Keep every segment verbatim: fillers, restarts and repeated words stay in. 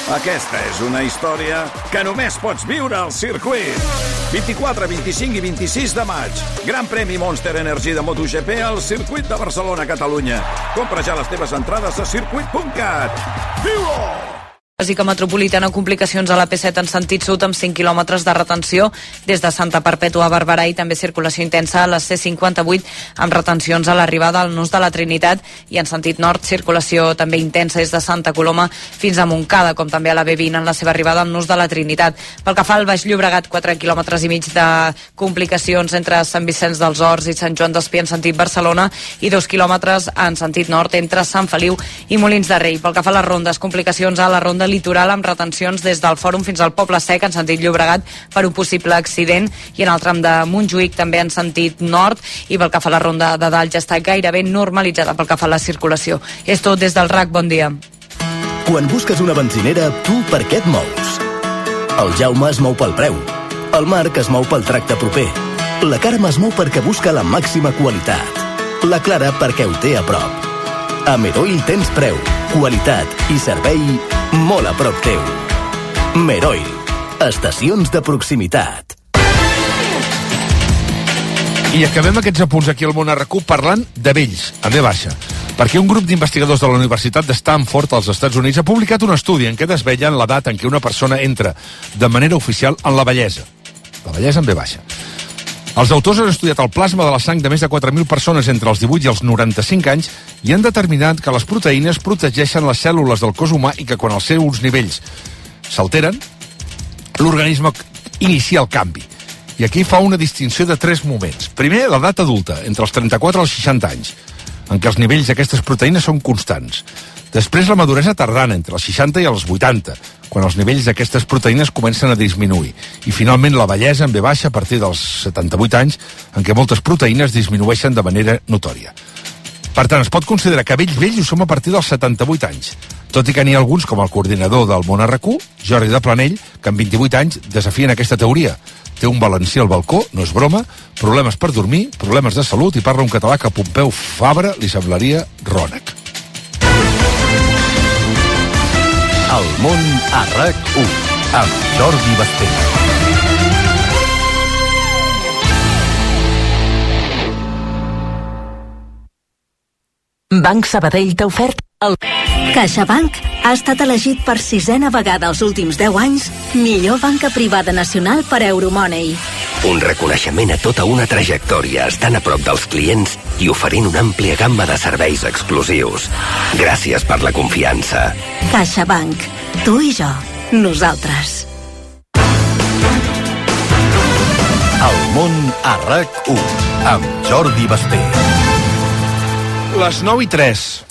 Aquesta és una història que només pots viure al circuit. vint-i-quatre, vint-i-cinc i vint-i-sis de maig. Gran premi Monster Energy de MotoGP al circuit de Barcelona, Catalunya. Compra ja les teves entrades a circuit punt cat. Viu-ho! Bàsica metropolitana, complicacions a la P set en sentit sud amb cinc quilòmetres de retenció des de Santa Perpètua a Barberà i també circulació intensa a la C cinquanta-vuit amb retencions a l'arribada al Nus de la Trinitat i en sentit nord circulació també intensa des de Santa Coloma fins a Montcada, com també a la B vint en la seva arribada al Nus de la Trinitat. Pel que fa al Baix Llobregat, quatre quilòmetres i mig de complicacions entre Sant Vicenç dels Horts i Sant Joan d'Espí en sentit Barcelona i dos quilòmetres en sentit nord entre Sant Feliu i Molins de Rei. Pel que fa a les rondes, complicacions a la ronda litoral amb retencions des del Fòrum fins al Poble Sec en sentit Llobregat per un possible accident i en el tram de Montjuïc també en sentit nord i pel que fa a la ronda de dalt ja està gairebé normalitzada pel que fa a la circulació. És tot des del R A C, bon dia. Quan busques una benzinera, tu per què et mous? El Jaume es mou pel preu. El Marc es mou pel tracte proper. La Carme es mou perquè busca la màxima qualitat. La Clara perquè ho té a prop. A Meroil tens preu, qualitat i servei molt a prop teu. Meroil, estacions de proximitat. I acabem aquests apunts aquí al Món R Q parlant de vells, a V baixa, perquè un grup d'investigadors de la Universitat de Stanford als Estats Units ha publicat un estudi en què desvetllen l'edat en què una persona entra de manera oficial en la vellesa. La vellesa en V baixa. Els autors han estudiat el plasma de la sang de més de quatre mil persones entre els divuit i els noranta-cinc anys i han determinat que les proteïnes protegeixen les cèl·lules del cos humà i que quan els seus nivells s'alteren, l'organisme inicia el canvi. I aquí fa una distinció de tres moments. Primer, l'edat adulta, entre els trenta-quatre i els seixanta anys, en què els nivells d'aquestes proteïnes són constants. Després, la maduresa tardana, entre els seixanta i els vuitanta, quan els nivells d'aquestes proteïnes comencen a disminuir. I, finalment, la vellesa en V baixa a partir dels setanta-vuit anys, en què moltes proteïnes disminueixen de manera notòria. Per tant, es pot considerar que vells vells ho som a partir dels setanta-vuit anys, tot i que n'hi ha alguns, com el coordinador del Món R Q, Jordi de Planell, que amb vint-i-vuit anys desafien aquesta teoria. Té un valencià al balcó, no és broma, problemes per dormir, problemes de salut i parla un català que a Pompeu Fabra li semblaria rònec. El Món a R A C u, amb Jordi Basté. Banc Sabadell t'ha ofert el... CaixaBank ha estat elegit per sisena vegada els últims deu anys millor banca privada nacional per Euromoney. Un reconeixement a tota una trajectòria estant a prop dels clients i oferint una àmplia gamma de serveis exclusius. Gràcies per la confiança. CaixaBank. Tu i jo. Nosaltres. El Món a R A C u, amb Jordi Basté. Les nou i tres.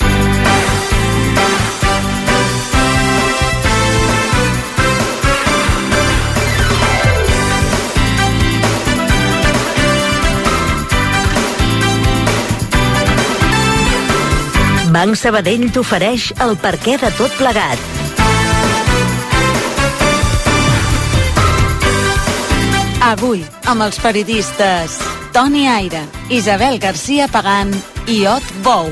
Banc Sabadell t'ofereix el perquè de tot plegat. Avui, amb els periodistes Toni Aire, Isabel García Pagán i Ot Bou.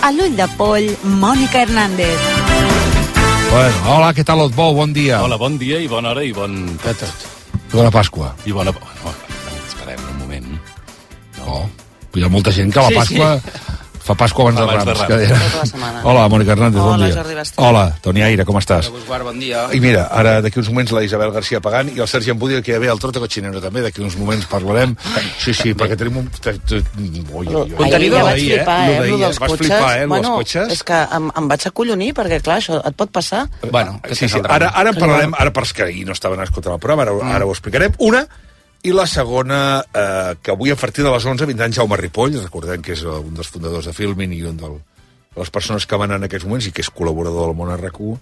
A l'ull de poll, Mònica Hernández. Bueno, hola, què tal, Ot Bou? Bon dia. Hola, bon dia i bona hora i bon... tot. Bona Pasqua. I bona... No, esperem un moment. No, hi ha molta gent que la Pasqua... Sí. Fa Pasqua abans, abans de Rams. De Rams. Tota Hola, Mònica Hernández, Hola, bon dia. Jordi Basté. Hola, Toni Aire, com estàs? Hola, bon dia. I mira, ara d'aquí uns moments la Isabel García Pagán i el Sergi Embudi, que ja ve el Trote Cochinero també, d'aquí uns moments parlarem. Sí, sí, perquè tenim un... Ui, ui, ui. Ahir ja vaig flipar, eh, amb el dels cotxes. Flipar, eh, bueno, cotxes. és que em, em vaig acollonir, perquè clar, això et pot passar. Bueno, sí, sí, ara, ara en parlarem, ara per que ahir no estaven escoltant el programa, ara, ara ho explicarem. Una, i la segona, eh, que avui a partir de les onze vindrà en Jaume Ripoll, recordem que és un dels fundadors de Filmin i un de les persones que van en aquests moments i que és col·laborador del Món R Q,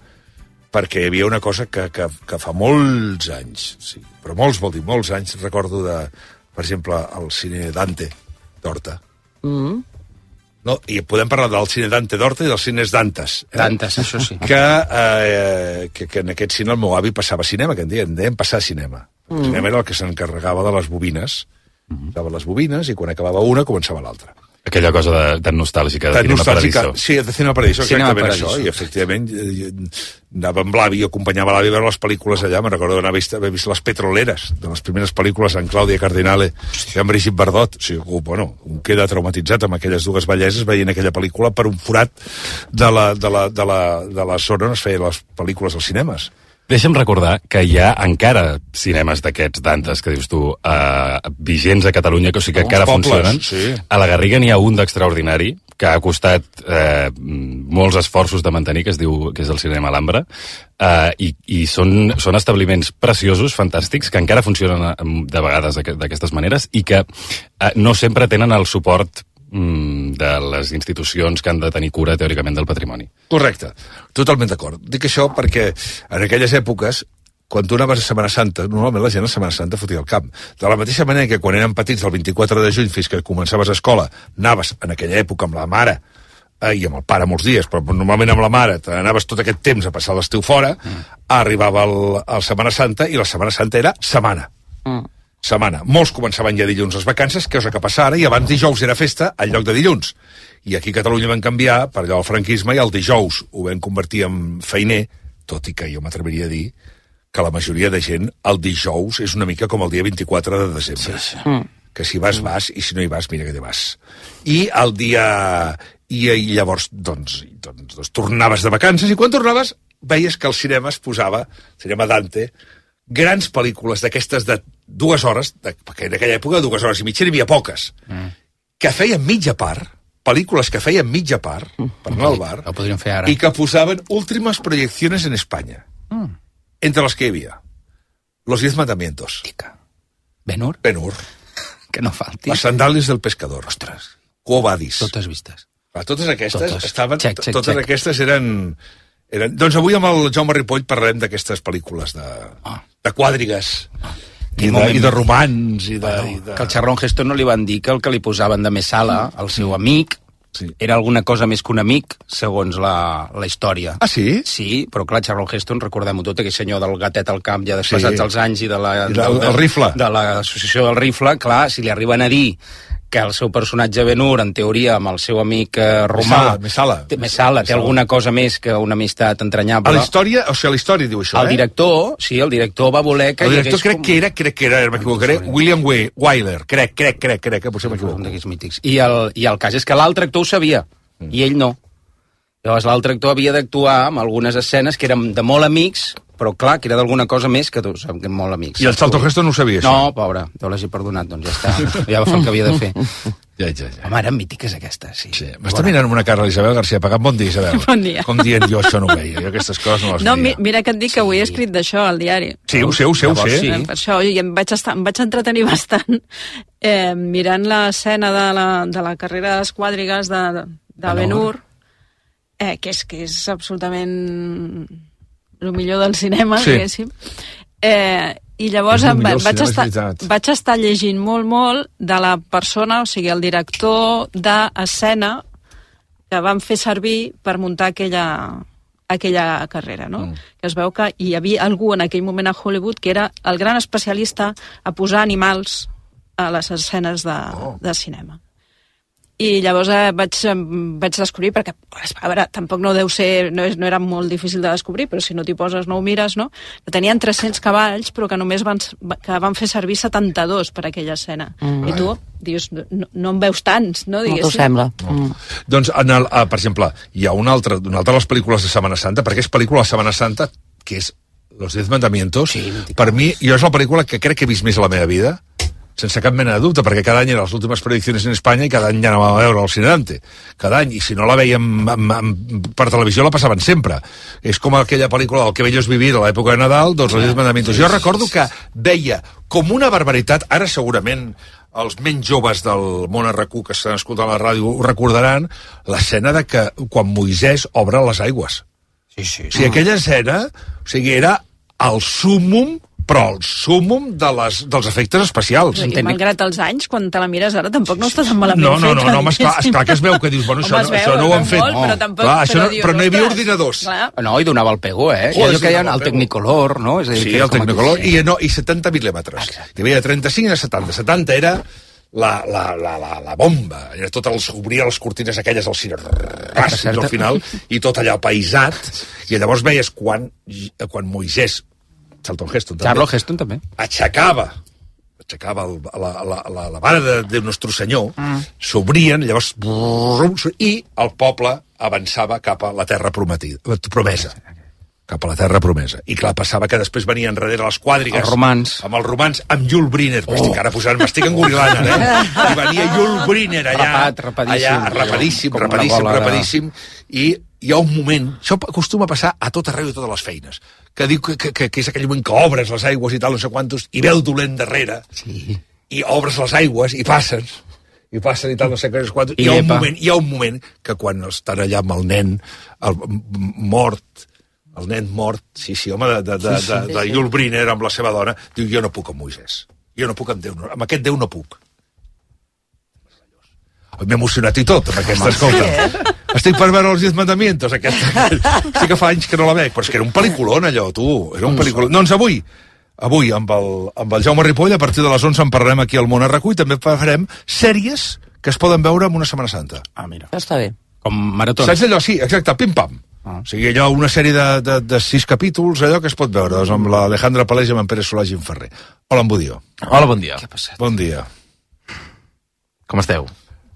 perquè hi havia una cosa que, que, que fa molts anys, sí, però molts, vol dir, molts anys, recordo de, per exemple, el cine Dante d'Horta. Mm. No, i podem parlar del cine Dante d'Horta i dels cines Dantes. Eh? Dantes, això sí. Que, eh, que, que en aquest cine el meu avi passava cinema, que en deien, en deien passar cinema. El cinema era el que s'encarregava de les bobines. Mm. Dava les bobines i quan acabava una començava l'altra. Aquella cosa de, tan nostàlgica de Cinema Paradiso. Sí, de Cinema Paradiso, exactament això. I efectivament anava amb l'avi, acompanyava l'avi a veure les pel·lícules allà. Me'n recordo d'anar a vist, haver vist Les Petroleres, de les primeres pel·lícules amb Clàudia Cardinale i amb Brigitte Bardot. O sigui, bueno, un queda traumatitzat amb aquelles dues belleses veient aquella pel·lícula per un forat de la, de la, de la, de la zona on es feien les pel·lícules als cinemes. Deixa'm recordar que hi ha encara cinemes d'aquests d'antes, que dius tu, eh, vigents a Catalunya, que, o sigui que encara pobles, funcionen. Sí. A la Garriga n'hi ha un d'extraordinari, que ha costat eh, molts esforços de mantenir, que es diu que és el Cinema Alhambra, eh, i, i són, són establiments preciosos, fantàstics, que encara funcionen de vegades d'aquestes maneres, i que eh, no sempre tenen el suport de les institucions que han de tenir cura teòricament del patrimoni. Correcte, totalment d'acord. Dic això perquè en aquelles èpoques, quan tu anaves a Setmana Santa, normalment la gent a Setmana Santa fotia el camp. De la mateixa manera que quan érem petits, del vint-i-quatre de juny fins que començaves a escola, anaves en aquella època amb la mare eh, i amb el pare molts dies, però normalment amb la mare anaves tot aquest temps a passar l'estiu fora, mm. arribava el, el Setmana Santa i la Setmana Santa era setmana. Mm. setmana. Molts començaven ja dilluns les vacances, que és el que passa ara, i abans dijous era festa en lloc de dilluns. I aquí a Catalunya van canviar per allò del franquisme i el dijous ho vam convertir en feiner, tot i que jo m'atreviria a dir que la majoria de gent el dijous és una mica com el dia vint-i-quatre de desembre. Sí, sí. Mm. Que si vas, vas, i si no hi vas, mira que te vas. I el dia... I, i llavors, doncs, doncs, doncs, tornaves de vacances, i quan tornaves veies que el cinema es posava, cinema Dante, grans pel·lícules d'aquestes de dues hores, de, perquè en aquella època dues hores i mitja n'hi havia poques, mm. que feien mitja part, pel·lícules que feien mitja part, mm. per anar al bar, ho podríem fer ara. I que posaven últimes projecciones en Espanya. Mm. Entre les que hi havia Los Diez Mandamientos. Tica. Ben-Hur? Ben-Hur. Que no falti. Las Sandalias del Pescador. Ostres. Quo Vadis. Totes vistes. Ah, totes aquestes totes. estaven... Check, check, totes check. aquestes eren... Eren... Doncs avui amb el Jaume Ripoll parlarem d'aquestes pel·lícules de, oh. de quadrigues oh. i, de, i de romans i de, bueno, i de... que al Charlton Heston no li van dir que el que li posaven de Messala, el seu amic, sí. era alguna cosa més que un amic, segons la, la història. Ah, sí? Sí, però clar, Charlton Heston, recordem-ho tot, aquell senyor del gatet al camp, ja desplaçats sí. els anys, i de la... I del, del, del rifle. De l'associació del rifle, clar, si li arriben a dir que el seu personatge Ben-Hur, en teoria, amb el seu amic eh, romà... Messala. Té, Messala, té alguna cosa més que una amistat entranyable. A la història, o sigui, a la història diu això, el eh? director, sí, el director va voler que... El director crec com... que era, crec que era, m'equivocaré, William Wyler, crec, crec, crec, crec, que potser m'equivoco. Un d'aquests mítics. I el, I el cas és que l'altre actor ho sabia, mm. i ell no. Llavors l'altre actor havia d'actuar amb algunes escenes que eren de molt amics, però clar, que era d'alguna cosa més que, que molt amics. I el Charlton Heston no ho sabia, això? No, pobre, jo l'hagi perdonat, doncs ja està. Ja va fer el que havia de fer. Ja, ja, ja. Home, eren mítiques aquestes, sí. sí. M'està mirant amb una cara l'Isabel García Pagant. Bon dia, Isabel. Bon dia. Com dient, jo això no ho veia, jo aquestes coses no les no, veia. No, mira que et dic que avui he escrit d'això al diari. Sí, ho sé, ho sé, ho sé. Sí. Per això, i em vaig, estar, em vaig entretenir bastant eh, mirant l'escena de, la, de la carrera de les quadrigues de, de Ben-Hur, eh, que, és, que és absolutament el millor del cinema, sí. diguéssim. Eh, I llavors em, vaig, estar, vaig estar llegint molt, molt de la persona, o sigui, el director d'escena que van fer servir per muntar aquella, aquella carrera, no? Mm. Que es veu que hi havia algú en aquell moment a Hollywood que era el gran especialista a posar animals a les escenes de, oh. de cinema. I llavors eh, vaig, vaig descobrir, perquè a veure, tampoc no deu ser, no, és, no era molt difícil de descobrir, però si no t'hi poses no ho mires, no? Que tenien tres-cents cavalls, però que només van, que van fer servir setanta-dos per aquella escena. Mm. I tu dius, no, no en veus tants, no? No t'ho sembla. No. Mm. Doncs, en el, uh, per exemple, hi ha una altra, una altra de les pel·lícules de Setmana Santa, perquè és pel·lícula de Setmana Santa, que és Los Diez Mandamientos. Sí, per mi, jo és la pel·lícula que crec que he vist més a la meva vida, sense cap mena de dubte, perquè cada any eren les últimes prediccions en Espanya i cada any ja anàvem a veure el Cine Dante. Cada any, i si no la veiem amb, amb, per televisió la passaven sempre. És com aquella pel·lícula del Que bello és vivir a l'època de Nadal, doncs Los Diez Mandamientos. Jo recordo que veia com una barbaritat, ara segurament els menys joves del món R Q que estan escoltant la ràdio ho recordaran, l'escena de que quan Moisès obre les aigües. Sí, sí. O sigui, aquella escena, o sigui, era el súmmum, però el súmmum de les, dels efectes especials. I malgrat els anys, quan te la mires ara, tampoc no està tan malament no, no, no, feta. No, no, esclar, esclar que es veu que dius, bueno, això, Home, no, això no ho han fet. Molt, però, tampoc, clar, això però, no, dius, però no hi havia ostres, ordinadors. Clar. No, i donava el pego, eh? Oh, I allò que hi ha el el Technicolor, no? És a dir, sí, que el Technicolor, i, no, i setanta mil·límetres. Hi havia de trenta-cinc a setanta. setanta era la, la, la, la, la bomba, era tot els, obria les cortines aquelles al cine, ras, al final, i tot allà paisat, i llavors veies quan, quan Moisès, Charlton Heston també, Charlton Heston també, aixecava, aixecava el, la, la, la, la vara de, de Nostre Senyor, mm. s'obrien, llavors, brum, i el poble avançava cap a la terra prometida, promesa. cap a la terra promesa. I clar, passava que després venien darrere les quadrigues... Els romans. Amb els romans, amb Yul Brynner. Oh. M'estic ara posant, m'estic engorilant, eh? I venia Yul Brynner allà... Rapat, rapadíssim. Allà, rapadíssim, rapadíssim, rapadíssim. I hi ha un moment... Això acostuma a passar a tot arreu i a totes les feines. Que diu que, que, que és aquell moment que obres les aigües i tal, no sé quantos, i ve el dolent darrere. Sí. I obres les aigües i passen... i passen i tal, no sé què, quantos... Hi ha, un moment, hi ha un moment que quan estan allà amb el nen el, mort... el nen mort, sí, sí, home, de, de, de, de, de Yul Brynner amb la seva dona, diu, jo no puc amb Moisès. Jo no puc amb Déu, no, amb aquest Déu no puc. M'he emocionat i tot, amb aquesta, escolta. Estic per veure els Diez Mandamientos, aquesta. Sí que fa anys que no la veig, però és que era un pel·liculón, allò, tu. Era un pel·liculón. Doncs avui, avui, amb el, amb el Jaume Ripoll, a partir de les onze en parlarem aquí al Món a RAC u i també farem sèries que es poden veure en una Setmana Santa. Ah, mira. Està bé. Com maratons. Saps allò? Sí, exacte, pim-pam. Ah. O sigui, allò, una sèrie de, de, de sis capítols, allò que es pot veure, doncs, amb l'Alejandra Palés i amb en Pere Solà i en Ferrer. Hola, en Budió. Hola, bon dia. Què ha passat? Bon dia. Com esteu?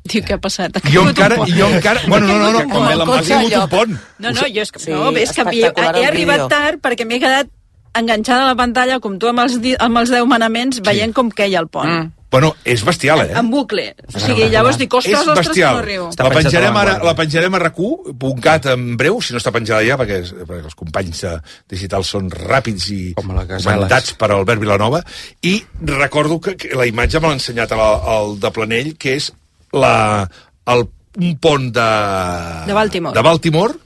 Diu, què ha passat? Ha jo encara, jo encara... Bueno, no, no, no, com el ha tingut un pont. No, no, jo és que, sí, no, és que he, he arribat tard perquè m'he quedat enganxada a la pantalla, com tu amb els, amb els deu manaments, veient sí. com queia el pont. Mm. Bueno, és bestial, eh? En bucle. O sigui, llavors dic, ostres, ostres, que no arribo. La penjarem, ara, la penjarem a RAC u punt cat en breu, si no està penjada ja, perquè, perquè els companys digitals són ràpids i comentats per Albert Vilanova, i recordo que, que la imatge me l'ha ensenyat al, al de Planell, que és la, el, un pont de... De Baltimore. De Baltimore,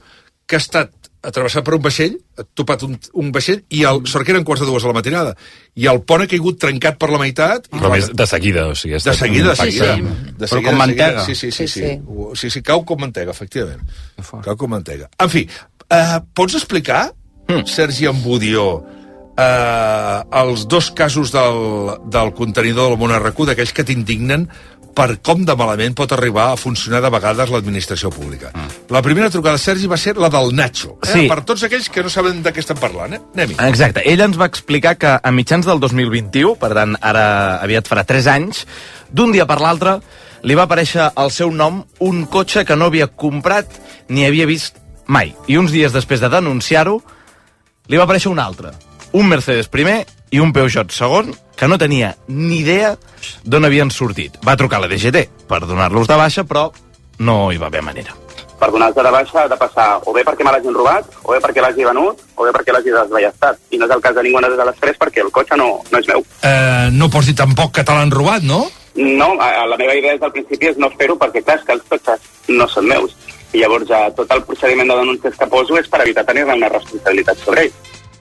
que ha estat atravessat per un vaixell, ha topat un, un vaixell, i el, sort que eren quarts de dues a la matinada, i el pont ha caigut trencat per la meitat... I però més de seguida, o sigui... De seguida, de seguida. Sí, sí. De però com mantega. Sí, sí, sí, sí, sí. Sí, sí, sí, cau com mantega, efectivament. Cau com mantega. En fi, eh, pots explicar, mm. Sergi Ambudió, eh, els dos casos del, del contenidor del Món a RAC u, d'aquells que t'indignen, per com de malament pot arribar a funcionar de vegades l'administració pública. Mm. La primera trucada, Sergi, va ser la del Nacho. Eh? Sí. Per tots aquells que no saben de què estem parlant, eh? Anem-hi. Exacte. Ell ens va explicar que a mitjans del dos mil vint-i-u, per tant, ara aviat farà tres anys, d'un dia per l'altre, li va aparèixer al seu nom un cotxe que no havia comprat ni havia vist mai. I uns dies després de denunciar-ho, li va aparèixer un altre. Un Mercedes primer i un Peugeot segon, que no tenia ni idea d'on havien sortit. Va trucar a la D G T per donar-los de baixa, però no hi va haver manera. Per donar-te de baixa ha de passar o bé perquè me l'hagin robat, o bé perquè l'hagi venut, o bé perquè l'hagi desballestat. I no és el cas de ninguna de les tres perquè el cotxe no, no és meu. Eh, no pots dir tampoc que te l'han robat, no? No, la meva idea des del principi és no fer-ho perquè, clar, és que els cotxes no són meus. I llavors ja tot el procediment de denúncies que poso és per evitar tenir-ne una responsabilitat sobre ell.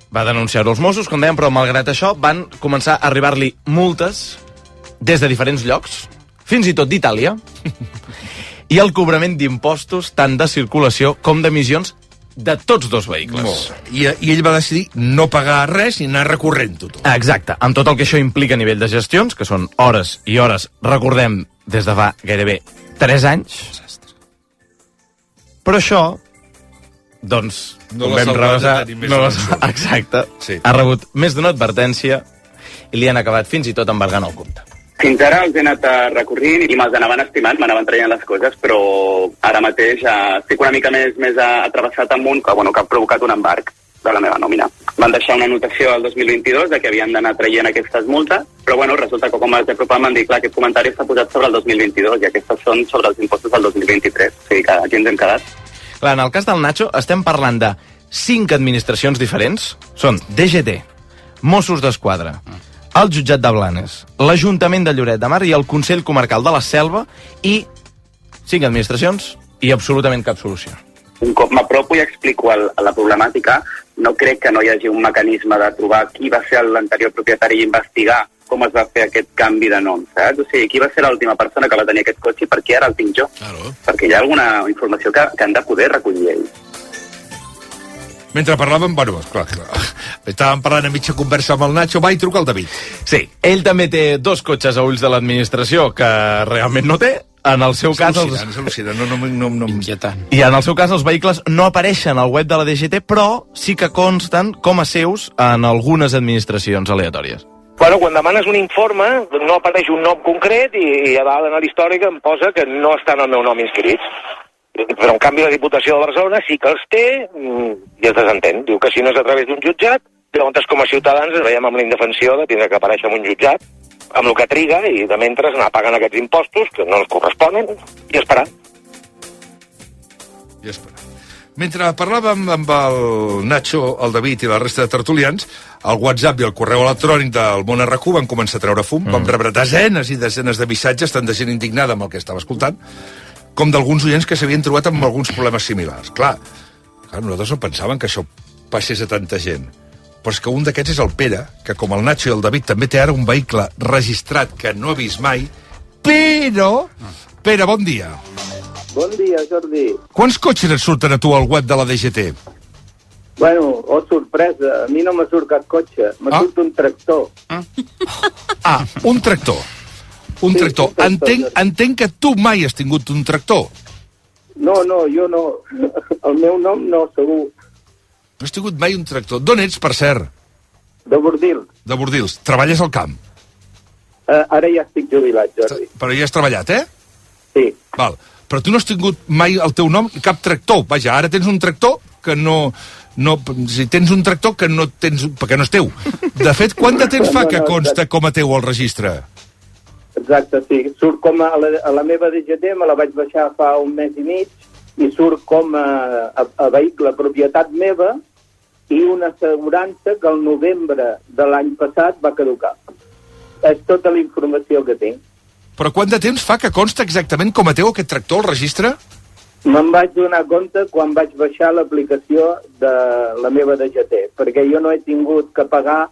Va denunciar-ho als Mossos, com dèiem, però malgrat això van començar a arribar-li multes des de diferents llocs, fins i tot d'Itàlia, i el cobrament d'impostos tant de circulació com d'emissions de tots dos vehicles. I, I ell va decidir no pagar res i anar recorrent-ho tot. Exacte, amb tot el que això implica a nivell de gestions, que són hores i hores, recordem, des de fa gairebé tres anys. Però això, doncs, no vam rebassar... No exacte. Sí. Ha rebut més d'una advertència i li han acabat fins i tot embargant el compte. Fins ara els he anat recorrint i me'ls anaven estimant, m'anaven traient les coses, però ara mateix eh, estic una mica més, més atravessat amb un que, bueno, que ha provocat un embarg de la meva nòmina. Van deixar una anotació al dos mil vint-i-dos de que havien d'anar traient aquestes multes, però bueno, resulta que com vaig apropar m'han dit, clar, aquest comentari està posat sobre el dos mil vint-i-dos i aquestes són sobre els impostos del dos mil vint-i-tres, o sigui que aquí ens hem quedat. Clar, en el cas del Nacho estem parlant de cinc administracions diferents. Són D G T, Mossos d'Esquadra, el Jutjat de Blanes, l'Ajuntament de Lloret de Mar i el Consell Comarcal de la Selva, i cinc administracions i absolutament cap solució. Un cop m'apropo i explico el, la problemàtica, no crec que no hi hagi un mecanisme de trobar qui va ser l'anterior propietari i investigar com es va fer aquest canvi de nom, saps? O sigui, qui va ser l'última persona que va tenir aquest cotxe i per què ara el tinc jo? Claro. Perquè hi ha alguna informació que, que han de poder recollir ells. Mentre parlàvem, bueno, clar, clar, Estàvem parlant a mitja conversa amb el Nacho, va i truca el David. Sí, ell també té dos cotxes a ulls de l'administració que realment no té. En el seu cas... Els... És al·lucinant, no, no, no, no... I en el seu cas els vehicles no apareixen al web de la D G T, però sí que consten com a seus en algunes administracions aleatòries. Bueno, quan demanes un informe, no apareix un nom concret i, i a dalt en l'històric em posa que no estan al meu nom inscrits. Però en canvi la Diputació de Barcelona sí que els té i es desentén. Diu que si no és a través d'un jutjat, llavors com a ciutadans ens veiem amb la indefensió de tindre que aparèixer en un jutjat, amb el que triga, i de mentre anar pagant aquests impostos que no els corresponen i esperar. I esperar. Mentre parlàvem amb el Nacho, el David i la resta de tertulians, el WhatsApp i el correu electrònic del Món R Q van començar a treure fum, mm. vam rebre desenes i desenes de missatges, tant de gent indignada amb el que estava escoltant, com d'alguns oients que s'havien trobat amb alguns problemes similars. Clar, clar, nosaltres no pensàvem que això passés a tanta gent. Però és que un d'aquests és el Pere, que com el Nacho i el David també té ara un vehicle registrat que no ha vist mai, però... Pere, bon dia. Bon dia, Jordi. Quants cotxes et surten a tu al web de la D G T? Bueno, oh, sorpresa, a mi no m'ha surt cap cotxe, m'ha ah? surt un tractor. Ah, ah un tractor. Un sí, tractor. Un tractor. Entenc, entenc que tu mai has tingut un tractor. No, no, jo no. El meu nom no, segur. No has tingut mai un tractor. D'on ets, per cert? De Bordils. De Bordils. Treballes al camp? Uh, ara ja estic jubilat, Jordi. Però ja has treballat, eh? Sí. Val. Però tu no has tingut mai el teu nom, cap tractor. Vaja, ara tens un tractor que no... no si tens un tractor que no tens... perquè no és teu. De fet, quant de temps fa que consta com a teu al registre? Exacte, sí. Surt com a la, a la meva D G T, me la vaig baixar fa un mes i mig, i surt com a, a, a vehicle propietat meva i una assegurança que el novembre de l'any passat va caducar. És tota la informació que tinc. Però quant de temps fa que consta exactament com a teu aquest tractor al registre? Me'n vaig donar compte quan vaig baixar l'aplicació de la meva D G T, perquè jo no he tingut que pagar,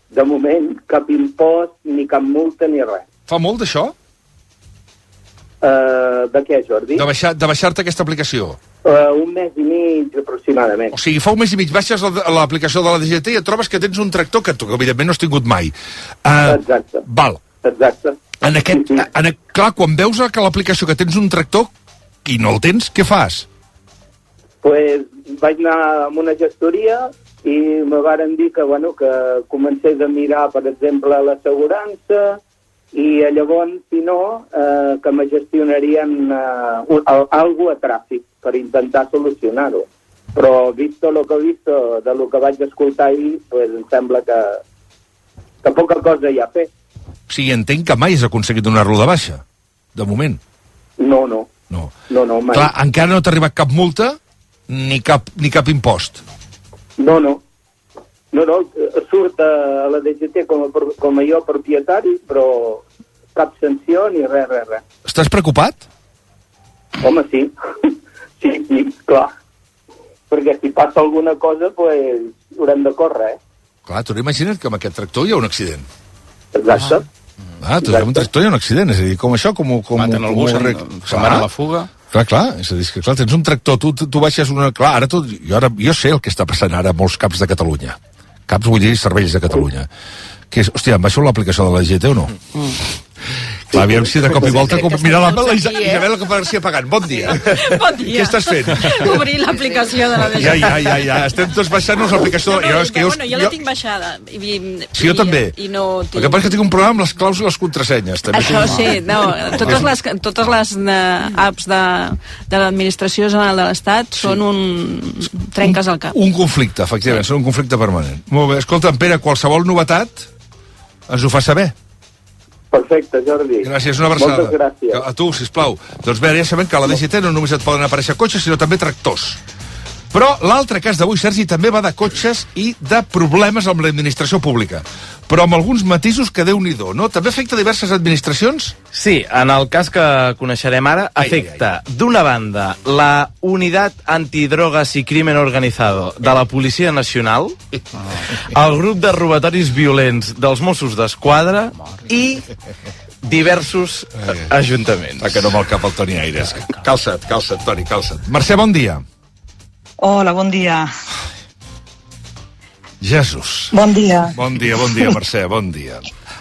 de moment, cap impost, ni cap multa, ni res. Fa molt d'això? Uh, de què, Jordi? De baixar, de baixar-te aquesta aplicació? Uh, un mes i mig, aproximadament. O sigui, fa un mes i mig baixes l'aplicació de la D G T i et trobes que tens un tractor que tu, evidentment, no has tingut mai. Uh, Exacte. Val. Exacte. En aquest, en, clar, quan veus que l'aplicació que tens un tractor i no el tens, què fas? Pues vaig anar amb una gestoria i me varen dir que, bueno, que comencés a mirar, per exemple, l'assegurança i llavors, si no, eh, que me gestionarien eh, alguna a tràfic per intentar solucionar-ho. Però, visto lo que he visto, de lo que vaig escoltar ahir, pues em sembla que, que poca cosa hi ha a fer. O sigui, entenc que mai has aconseguit donar-lo de baixa, de moment. No, no. No, no, no mai. Clar, encara no t'ha arribat cap multa ni cap, ni cap impost. No, no. No, no, surt a la D G T com a, com a jo propietari, però cap sanció ni res, res, res. Estàs preocupat? Home, sí. Sí, sí, clar. Perquè si passa alguna cosa, pues, haurem de córrer, eh? Clar, tu imagina't que amb aquest tractor hi ha un accident. Exacte. Ah, tu amb un tractor hi ha un accident, és a dir, com això, com... com maten algú, se'n se van a la fuga. Clar, clar, és a dir, que clar, tens un tractor, tu, tu baixes una... Clar, ara tu, jo, ara, jo sé el que està passant ara a molts caps de Catalunya. Caps, vull dir, serveis de Catalunya. Que és, hòstia, em baixo l'aplicació de la D G T o no? Mm. Clar, aviam si de cop i volta... Com... Mira, la, la Isa, Isabel García pagant. Bon dia. Bon dia. Què estàs fent? Obrir l'aplicació de la D G T. Ja, ja, ja, ja. Estem tots baixant-nos l'aplicació... No, no, jo, és que jo, bueno, jo la tinc baixada. I, i, sí, jo i, també. I no tinc... El que passa és que tinc un problema amb les claus i les contrasenyes. També Això tinc... sí, no. Totes les, totes les uh, apps de, de l'administració general de l'Estat sí. són un... trenques al cap. Un, un conflicte, efectivament, sí. Són un conflicte permanent. Molt bé. Escolta, Pere, qualsevol novetat ens ho fa saber. Perfecte, Jordi. Gràcies, una abraçada. Moltes gràcies. A tu, sisplau. Doncs bé, ja sabem que a la D G T no només et poden aparèixer cotxes, sinó també tractors. Però l'altre cas d'avui, Sergi, també va de cotxes i de problemes amb l'administració pública. Però amb alguns matisos que Déu-n'hi-do, no? També afecta diverses administracions? Sí, en el cas que coneixerem ara, afecta, d'una banda, la Unitat Antidrogas i Crimen Organizado de la Policia Nacional, el grup de robatoris violents dels Mossos d'Esquadra i diversos ajuntaments. Va, que no me'l cap el Toni Aires. Calça't, calça't, Toni, calça't. Mercè, bon dia. Hola, bon dia. Jesús. Bon dia. Bon dia, bon dia, Mercè, bon dia.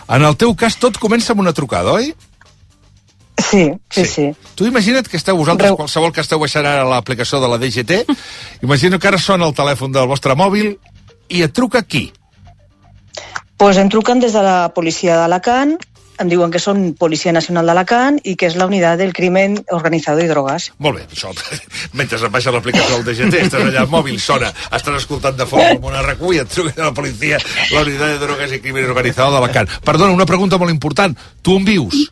En el teu cas tot comença amb una trucada, oi? Sí, sí, sí. sí. Tu imagina't que esteu vosaltres, Reu... qualsevol que esteu baixant ara l'aplicació de la D G T, imagina que ara sona el telèfon del vostre mòbil i et truca qui? Pues em truquen des de la policia d'Alacant, em diuen que són Policia Nacional d'Alacant i que és la unitat del crimen organitzado i drogas. Molt bé, això, mentre et baixa l'aplicació del D G T, estàs allà al mòbil, sona, estàs escoltant de fons amb una R Q i et truca la policia, la unitat de drogas i crimen organitzado d'Alacant. Perdona, una pregunta molt important. Tu on vius?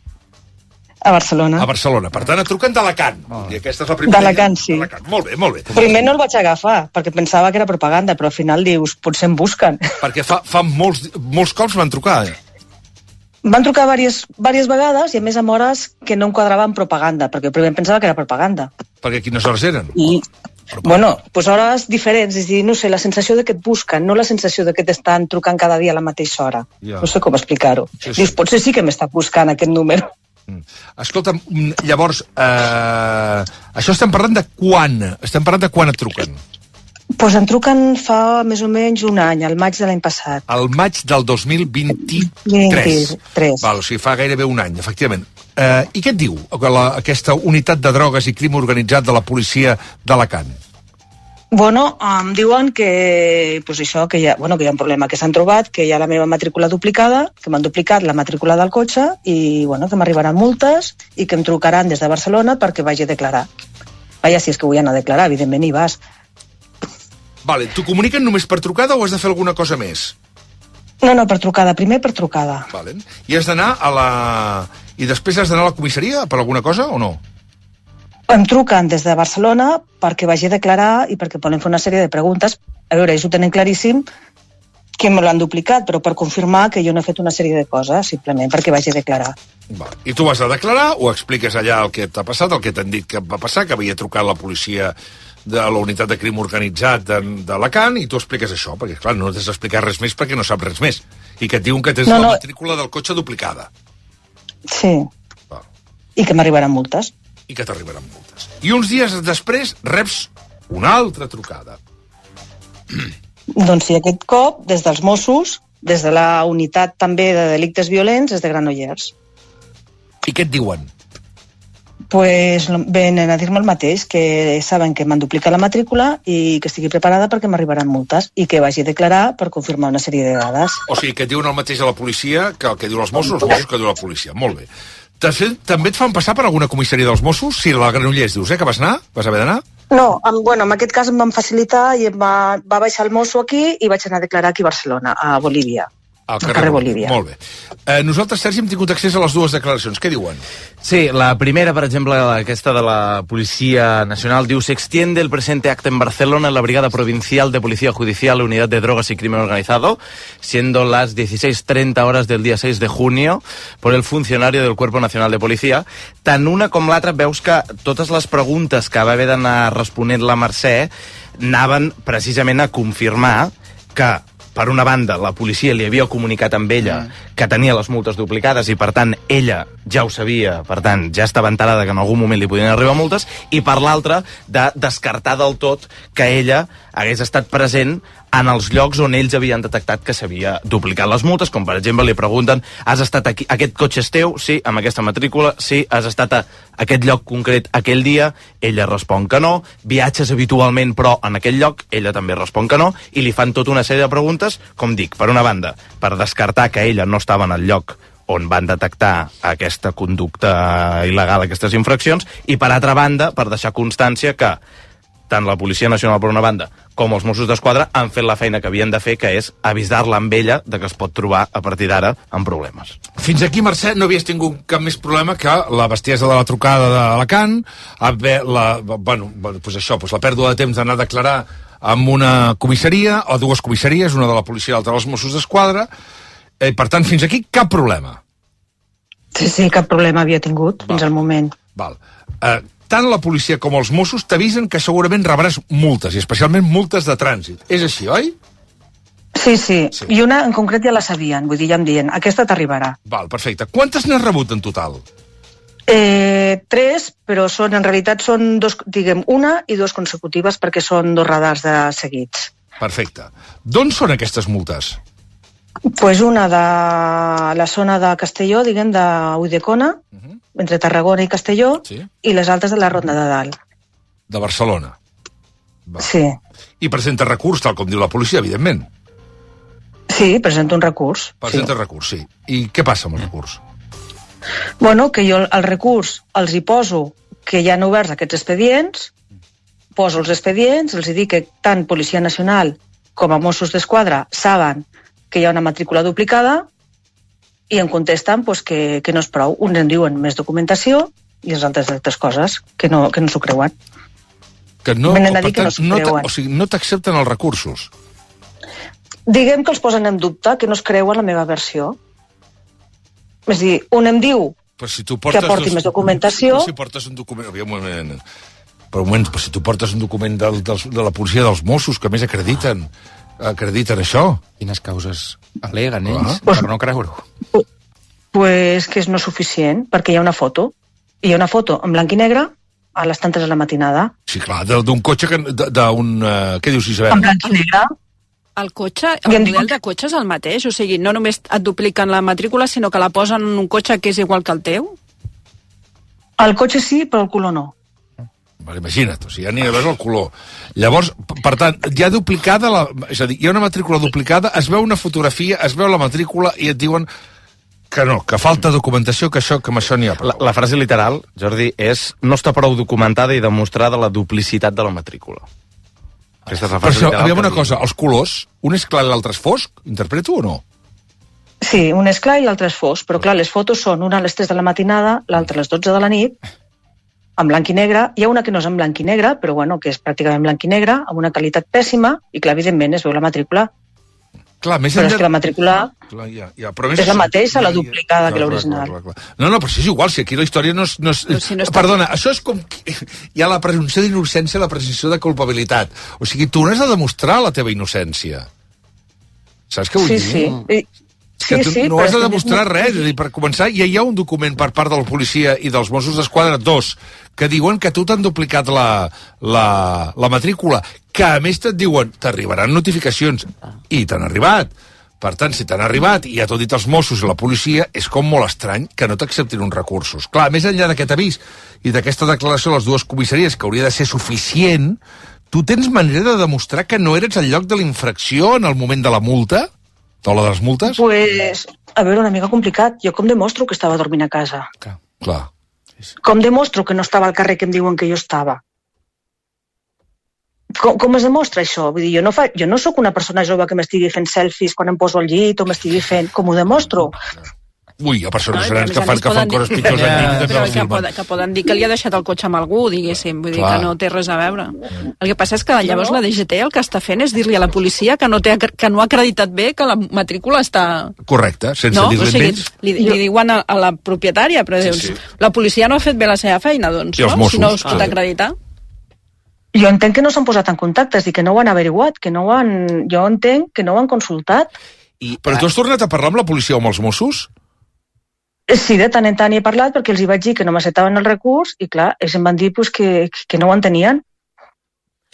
A Barcelona. A Barcelona. Per tant, et truquen d'Alacant. Oh. I aquesta és la primera... D'Alacant, sí. Molt bé, molt bé. Primer no el vaig agafar, perquè pensava que era propaganda, però al final dius, potser em busquen. Perquè fa, fa molts, molts cops van trucar, eh? Van trucar diverses, diverses vegades i a més amb hores que no em quadrava amb propaganda, perquè primer em pensava que era propaganda. Perquè quines hores eren? I, bueno, pues hores diferents, és dir, no sé, la sensació de que et busquen, no la sensació de que t'estan trucant cada dia a la mateixa hora. Ja. No sé com explicar-ho. Sí, sí. Dius, potser sí que m'està buscant aquest número. Mm. Escolta'm, llavors, eh, això estem parlant de quan? Estem parlant de quan et truquen? Doncs pues em truquen fa més o menys un any, al maig de l'any passat. Al maig del dos mil vint-i-tres. vint-i-tres. Val, o sigui, fa gairebé un any, efectivament. Eh, I què et diu la, aquesta unitat de drogues i crim organitzat de la policia d'Alacant? Bueno, em diuen que, pues això, que, hi ha, bueno, que hi ha un problema, que s'han trobat, que hi ha la meva matrícula duplicada, que m'han duplicat la matrícula del cotxe i bueno, que m'arribaran multes i que em trucaran des de Barcelona perquè vagi a declarar. Vaja, si és que vull anar a declarar, evidentment hi vas. Vale, t'ho comuniquen només per trucada o has de fer alguna cosa més? No, no, per trucada, primer per trucada. Vale. I has d'anar a la... I després has d'anar a la comissaria per alguna cosa o no? Em truquen des de Barcelona perquè vagi a declarar i perquè poden fer una sèrie de preguntes. A veure, ells ho tenen claríssim que me l'han duplicat, però per confirmar que jo no he fet una sèrie de coses, simplement perquè vagi a declarar. Va. I tu vas a declarar o expliques allà el que t'ha passat, el que t'han dit que va passar, que havia trucat la policia de la unitat de crim organitzat d'Alacant i tu expliques això, perquè clar, no t'has d'explicar res més perquè no saps res més. I que et diuen que tens no, no. la matrícula del cotxe duplicada. Sí. Va. I que m'arribaran multes. I que t'arribaran multes. I uns dies després reps una altra trucada. Doncs sí, aquest cop, des dels Mossos, des de la unitat també de delictes violents, des de Granollers. I què et diuen? Pues venen a dir-me el mateix, que saben que m'han duplicat la matrícula i que estigui preparada perquè m'arribaran multes i que vagi a declarar per confirmar una sèrie de dades. O sigui, que et diuen el mateix a la policia que el que diuen els Mossos, els Mossos que diu la policia. Molt bé. També et fan passar per alguna comissaria dels Mossos? Si la Granollers dius, eh, que vas anar? Vas haver d'anar? No, en, bueno, en aquest cas em van facilitar i em va, va baixar el mosso aquí i vaig anar a declarar aquí a Barcelona, a Bolívia. Al carrer, carrer Bolívia. Molt bé. Eh, nosaltres, Sergi, hem tingut accés a les dues declaracions. Què diuen? Sí, la primera, per exemple, aquesta de la Policía Nacional, diu: se extiende el presente acta en Barcelona en la Brigada Provincial de Policía Judicial, Unidad de Drogas y Crimen Organizado, siendo las dieciséis treinta horas del día seis de junio, por el funcionario del Cuerpo Nacional de Policía. Tant una com l'altra veus que totes les preguntes que va haver d'anar responent la Mercè anaven precisament a confirmar que, per una banda, la policia li havia comunicat amb ella mm. que tenia les multes duplicades i, per tant, ella ja ho sabia, per tant, ja estava enterada que en algun moment li podien arribar multes, i, per l'altra, de descartar del tot que ella hagués estat present en els llocs on ells havien detectat que s'havia duplicat les multes, com per exemple li pregunten: has estat aquí, aquest cotxe és teu? Sí, amb aquesta matrícula? Sí, has estat a aquest lloc concret aquell dia? Ella respon que no. Viatges habitualment però en aquell lloc? Ella també respon que no, i li fan tota una sèrie de preguntes, com dic, per una banda, per descartar que ella no estava en el lloc on van detectar aquesta conducta il·legal, aquestes infraccions, i per altra banda, per deixar constància que tant la Policia Nacional per una banda com els Mossos d'Esquadra han fet la feina que havien de fer, que és avisar-la amb ella de que es pot trobar a partir d'ara amb problemes. Fins aquí, Mercè, no havies tingut cap més problema que la bestiesa de la trucada d'Alacant, la, bueno, pues això, pues la pèrdua de temps d'anar a declarar amb una comissaria, o dues comissaries, una de la policia i l'altra dels Mossos d'Esquadra. Eh, per tant, fins aquí cap problema. Sí, sí, cap problema havia tingut Val. fins al moment. Val. Eh, tant la policia com els Mossos t'avisen que segurament rebràs multes, i especialment multes de trànsit. És així, oi? Sí, sí, sí. I una en concret ja la sabien, vull dir, ja em diuen, aquesta t'arribarà. Val, perfecte. Quantes n'has rebut en total? Eh, tres, però són, en realitat són dos, diguem, una i dues consecutives perquè són dos radars de seguits. Perfecte. D'on són aquestes multes? Pues una de la zona de Castelló, diguem, de Ulldecona, uh -huh. entre Tarragona i Castelló, sí. I les altres de la Ronda de Dalt. De Barcelona. Va. Sí. I presenta recurs, tal com diu la policia, evidentment. Sí, presenta un recurs. Presenta sí. recurs, sí. I què passa amb el recurs? Bueno, que jo el recurs els hi poso que hi han oberts aquests expedients, poso els expedients, els dic que tant Policia Nacional com a Mossos d'Esquadra saben que hi ha una matrícula duplicada i em contesten pues, que, que no és prou. Uns em diuen més documentació i els altres altres coses, que no, que no s'ho creuen. Que no, Venen a dir per tant, que no s'ho creuen. O sigui, no t'accepten els recursos? Diguem que els posen en dubte, que no es creuen la meva versió. És a dir, un em diu si tu portes que aporti dos, més documentació... Però si portes un document... Un moment, però un moment, però si tu portes un document del, del, de la policia dels Mossos, que més acrediten, acrediten això. Quines causes aleguen ells, ah. per no creure-ho? Pues que és no suficient, perquè hi ha una foto. Hi ha una foto en blanc i negre a les tantes de la matinada. Sí, clar, d'un cotxe, d'un... Uh, què dius, Isabel? En blanc i negre. El cotxe, el model de cotxe és el mateix? O sigui, no només et dupliquen la matrícula, sinó que la posen en un cotxe que és igual que el teu? El cotxe sí, però el color no. Vale, imagina't, o sigui, ja ni veus el color. Llavors, per tant, hi ha duplicada, la, és a dir, hi ha una matrícula duplicada, es veu una fotografia, es veu la matrícula i et diuen que no, que falta documentació, que això que amb això n'hi ha prou. La, la frase literal, Jordi, és no està prou documentada i demostrada la duplicitat de la matrícula. Aquesta és la frase Però això, literal. aviam una cosa, els colors, un és clar i l'altre és fosc, interpreto o no? Sí, un és clar i l'altre és fosc, però clar, les fotos són una a les tres de la matinada, l'altra a les dotze de la nit, en blanc i negre. Hi ha una que no és en blanc i negre, però bueno, que és pràcticament blanc i negre, amb una qualitat pèssima, i clar, evidentment es veu la matrícula. Clar, més però enllà... és que la matrícula clar, ja, ja, però més... és la mateixa, la duplicada clar, que l'original. Clar, clar, clar. No, no, però si és igual, si aquí la història no és... No és... No, si no està... Perdona, això és com... Hi ha la presumpció d'innocència i la presumpció de culpabilitat. O sigui, tu n'has de demostrar la teva innocència. Saps què vull sí, dir? Sí, sí. Que tu sí, sí, no has de és demostrar no... res. És a dir, per començar, ja hi ha un document per part de la policia i dels Mossos d'Esquadra, dos, que diuen que tu t'han duplicat la, la, la matrícula, que a més et diuen, t'arribaran notificacions, i t'han arribat. Per tant, si t'han arribat i ja t'ho dit els Mossos i la policia, és com molt estrany que no t'acceptin uns recursos. Clar, més enllà d'aquest avís i d'aquesta declaració de les dues comissaries, que hauria de ser suficient, tu tens manera de demostrar que no eres al lloc de la infracció en el moment de la multa? O la de les multes? Pues, a veure, una mica complicat. Jo com demostro que estava dormint a casa? Clar. Clar. Com demostro que no estava al carrer que em diuen que jo estava? Com, com es demostra això? Vull dir, jo no, fa, jo no sóc una persona jove que m'estigui fent selfies quan em poso al llit o m'estigui fent... Com ho demostro? Ui, hi ha persones no, grans que fan, que fan coses pitjors ja, en però que, poden, que poden dir que li ha deixat el cotxe amb algú, diguéssim, vull dir Clar. que no té res a veure. El que passa és que llavors la D G T el que està fent és dir-li a la policia que no, té, que no ha acreditat bé que la matrícula està... Correcte, sense no? dir-li o sigui, més. Li, li diuen a, a la propietària, però Sí, dius, sí. la policia no ha fet bé la seva feina, doncs, I els no? Mossos, Si no es pot sí. acreditar. Jo entenc que no s'han posat en contacte, és dir, que no ho han averiguat, que no ho han... Jo entenc que no ho han consultat. I, Però tu has tornat a parlar amb la policia o amb els Mossos? Sí, de tant en tant hi he parlat perquè els hi vaig dir que no m'acceptaven el recurs i clar, ells em van dir pues, que, que no ho entenien.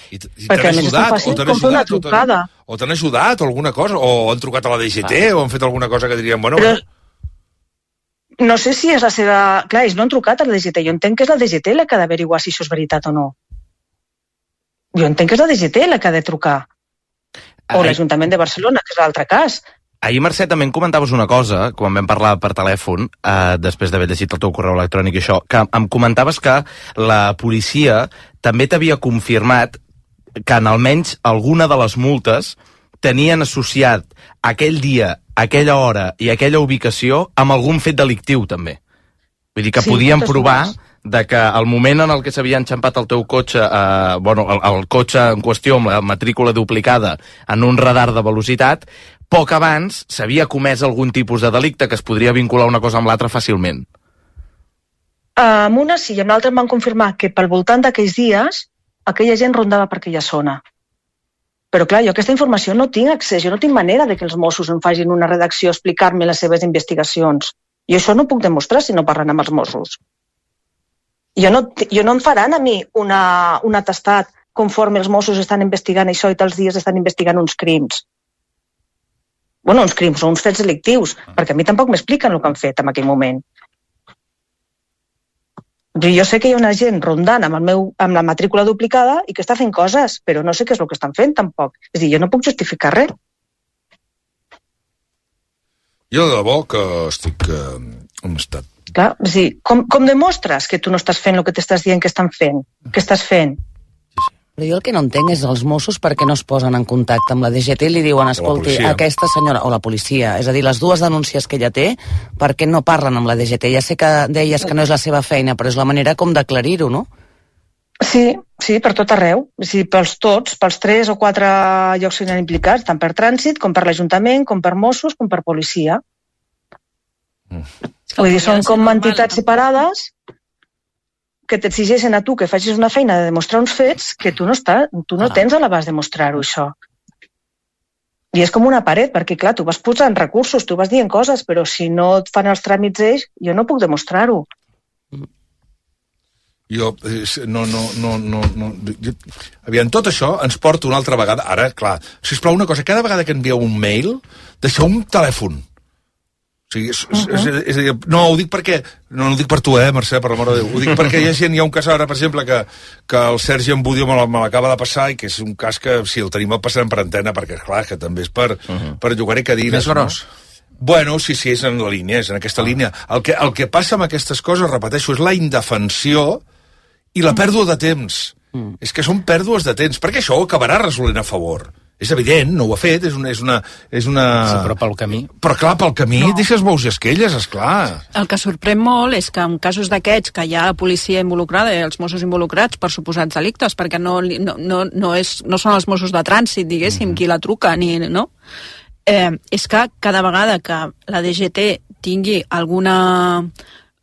I, i perquè a t'han més és tan ajudat, fàcil o t'han com fer una ajudat, o t'han- trucada. o t'han ajudat, o alguna cosa, o han trucat a la D G T, o han fet alguna cosa que dirien, bueno... Però no sé si és la seva... Clar, ells no han trucat a la D G T. Jo entenc que és la D G T la que ha d'averiguar si això és veritat o no. Jo entenc que és la D G T la que ha de trucar. O Ai. l'Ajuntament de Barcelona, que és l'altre cas. Ahir, Mercè, també em comentaves una cosa, quan vam parlar per telèfon, eh, després d'haver llegit el teu correu electrònic i això, que em comentaves que la policia també t'havia confirmat que en almenys alguna de les multes tenien associat aquell dia, aquella hora i aquella ubicació amb algun fet delictiu, també. Vull dir que Sí, podien moltes provar dues. de que el moment en el que s'havia enxampat el teu cotxe, eh, bueno, el, el cotxe en qüestió amb la matrícula duplicada en un radar de velocitat, poc abans s'havia comès algun tipus de delicte que es podria vincular una cosa amb l'altra fàcilment. Amb una sí, i amb l'altra em van confirmar que pel voltant d'aquells dies aquella gent rondava per aquella zona. Però clar, jo aquesta informació no tinc accés, jo no tinc manera de que els Mossos em facin una redacció, explicar-me les seves investigacions. I això no puc demostrar si no parlen amb els Mossos. Jo no, jo no em faran a mi una, un atestat conforme els Mossos estan investigant això i tals dies estan investigant uns crims. Bueno, uns crims o uns fets delictius, perquè a mi tampoc m'expliquen el que han fet en aquell moment. Jo sé que hi ha una gent rondant amb, el meu, amb la matrícula duplicada i que està fent coses, però no sé què és el que estan fent tampoc. És a dir, jo no puc justificar res. Jo de debò que estic eh, en estat. Clar, és a dir, com, com demostres que tu no estàs fent el que t'estàs dient que estan fent? Que estàs fent? Però jo el que no entenc és els Mossos per què no es posen en contacte amb la D G T i li diuen, escolti, aquesta senyora, o la policia, és a dir, les dues denúncies que ella té, per què no parlen amb la D G T? Ja sé que deies que no és la seva feina, però és la manera com d'aclarir-ho, no? Sí, sí, per tot arreu. Sí, pels tots, pels tres o quatre llocs que hi ha implicats, tant per trànsit, com per l'Ajuntament, com per Mossos, com per policia. Mm. Vull dir, són com entitats separades que t'exigeixen a tu que facis una feina de demostrar uns fets que tu no, està, tu no tens a l'abast de mostrar-ho, això. I és com una paret, perquè, clar, tu vas posant recursos, tu vas dient coses, però si no et fan els tràmits ells, jo no puc demostrar-ho. Jo, no, no, no, no, no... Jo, aviam, tot això ens porta una altra vegada... Ara, clar, sisplau, una cosa, cada vegada que envieu un mail, deixeu un telèfon. O sigui, és, uh-huh. és, és, és a dir, no, ho dic perquè... No, no ho dic per tu, eh, Mercè, per l'amor de Déu. Ho dic perquè hi ha gent, hi ha un cas ara, per exemple, que, que el Sergi Embudio me l'acaba de passar i que és un cas que, si el tenim el passarem per antena, perquè, clar, que també és per, uh-huh. per llogar-hi cadires. Més gros. No? Bueno, sí, sí, és en la línia, és en aquesta ah. línia. El que, el que passa amb aquestes coses, repeteixo, és la indefensió i la pèrdua de temps. Mm. És que són pèrdues de temps, perquè això ho acabarà resolent a favor. És evident, no ho ha fet, és una... És una, és una... Sí, però pel camí... Però clar, pel camí no. Deixes bous i esquelles, esclar. El que sorprèn molt és que en casos d'aquests que hi ha la policia involucrada i els Mossos involucrats per suposats delictes, perquè no, no, no, no, és, no són els Mossos de trànsit, diguéssim, mm-hmm. qui la truca, ni... no? Eh, és que cada vegada que la D G T tingui alguna...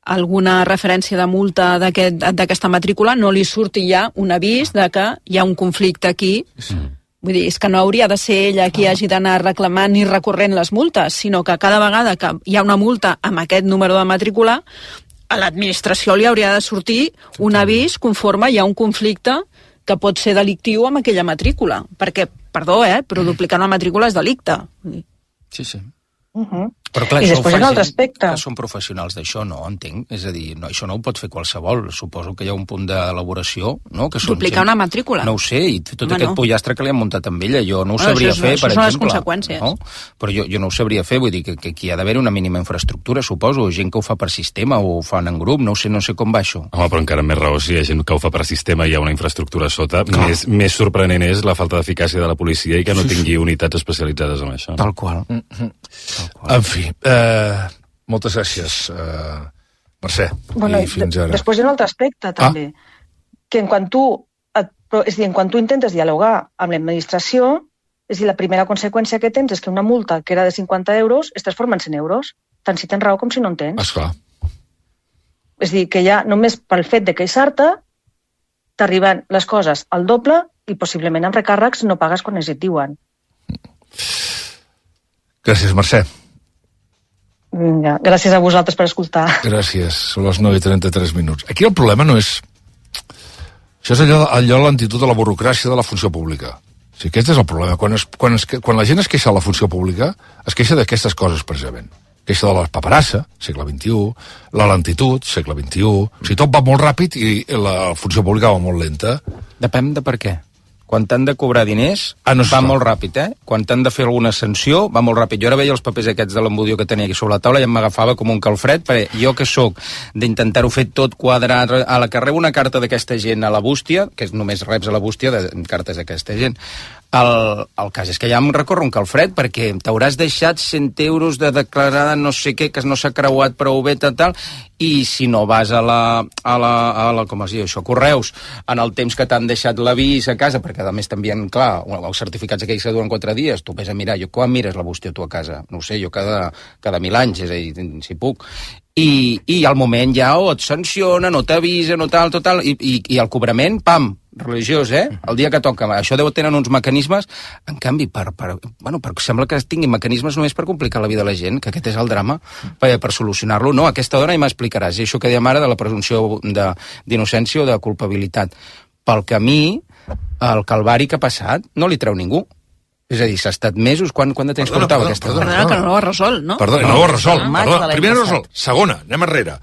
alguna referència de multa d'aquesta aquest, matrícula, no li surti ja un avís de que hi ha un conflicte aquí. Sí. Vull dir, és que no hauria de ser ella qui hagi d'anar reclamant ni recorrent les multes, sinó que cada vegada que hi ha una multa amb aquest número de matrícula, a l'administració li hauria de sortir un avís conforme hi ha un conflicte que pot ser delictiu amb aquella matrícula. Perquè, perdó, eh, però duplicar una matrícula és delicte. Sí, sí. Uh-huh. Però clar, I això després ho fa un altre gent aspecte. que són professionals d'això, no, entenc. És a dir, no, això no ho pot fer qualsevol. Suposo que hi ha un punt d'elaboració, no? Que són duplicar gent... una matrícula. No ho sé, i tot Home, aquest no. pollastre que li han muntat amb ella, jo no ho no, sabria és, fer, per exemple. Això són les conseqüències. No? Però jo, jo no ho sabria fer, vull dir que, que aquí ha d'haver una mínima infraestructura, suposo, gent que ho fa per sistema o ho fan en grup, no sé, no sé com va això. Home, però encara més raó, si hi ha gent que ho fa per sistema i hi ha una infraestructura sota, més, més sorprenent és la falta d'eficàcia de la policia i que no tingui unitats especialitzades en això. Tal qual. Mm-hmm. Tal qual. En fi, eh, moltes gràcies, eh, Mercè. Bueno, i fins ara. Després hi ha un altre aspecte, també, ah. que en quan tu, et, és a dir, en quan tu intentes dialogar amb l'administració, és a dir, la primera conseqüència que tens és que una multa que era de cinquanta euros es transforma en cent euros, tant si tens raó com si no en tens. Esclar. És a dir, que ja només pel fet de queixar-te t'arriben les coses al doble i possiblement amb recàrrecs no pagues quan es et diuen. Gràcies, Mercè. Ja, gràcies a vosaltres per escoltar. Gràcies, són les nou i trenta-tres minuts. Aquí el problema no és... Això és allò, allò l'antitud de la burocràcia de la funció pública. O sigui, aquest és el problema. Quan, es, quan, es, quan la gent es queixa de la funció pública, es queixa d'aquestes coses, precisament. Queixa de la paperassa, segle vint-i-u, la lentitud, segle vint-i-u... O sigui, tot va molt ràpid i la funció pública va molt lenta. Depèn de per què. Quan t'han de cobrar diners, ah, no va molt ràpid, eh? Quan t'han de fer alguna sanció, va molt ràpid. Jo ara veia els papers aquests de l'Embudio que tenia aquí sobre la taula i em m'agafava com un calfred, perquè jo que sóc d'intentar-ho fer tot quadrat, a la que rebo una carta d'aquesta gent a la bústia, que només reps a la bústia de cartes d'aquesta gent, el, el cas és que ja em recorre un calfred, perquè t'hauràs deixat cent euros de declarada no sé què, que no s'ha creuat prou bé, tal, tal, i si no vas a la, a la, a la com es diu això, correus, en el temps que t'han deixat l'avís a casa, perquè a més t'envien, clar, els certificats aquells que duren quatre dies, tu vés a mirar, jo quan mires la bústia tu a casa? No ho sé, jo cada, cada mil anys, és a dir, si puc. I, i al moment ja o et sancionen, o t'avisen, o tal, total, i, i, i el cobrament, pam, religiós, eh? El dia que toca. Això deu tenir uns mecanismes, en canvi, per, per, bueno, per, sembla que tinguin mecanismes només per complicar la vida de la gent, que aquest és el drama, per, per solucionar-lo. No, aquesta dona ja m'explicaràs, i això que dèiem ara de la presumpció d'innocència o de culpabilitat. Pel camí, el calvari que ha passat no li treu ningú. És a dir, s'ha estat mesos... Quan, quan de temps perdona, portava perdona, aquesta perdona, perdona, que no ho ha resolt, no? Perdona, no, no ho ha resolt. Perdona, primer no ho ha resolt. Segona, anem enrere.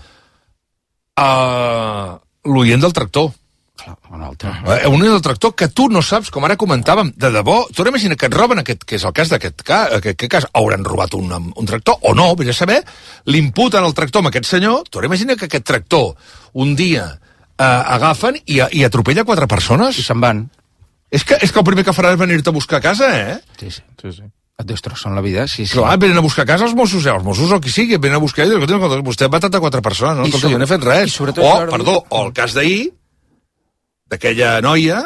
Uh, L'oient del tractor. Un altre. Uh, un oient del tractor que tu no saps, com ara comentàvem, de debò, tu imagina que et roben aquest, que és el cas d'aquest cas, aquest, aquest cas, hauran robat un, un tractor o no, vés a saber, l'imputen el tractor amb aquest senyor, tu imagina que aquest tractor un dia uh, agafen i, i atropella quatre persones. I se'n van. És que, és que el primer que farà és venir-te a buscar a casa, eh? Sí, sí, sí, sí. Et destrossen la vida, sí, sí. Clar, venen a buscar a casa els Mossos, eh? Els Mossos o qui sigui, venen a buscar i diuen, vostè ha matat a quatre persones, no? Escolta, jo no he fet res. O, perdó, o el cas d'ahir, d'aquella noia,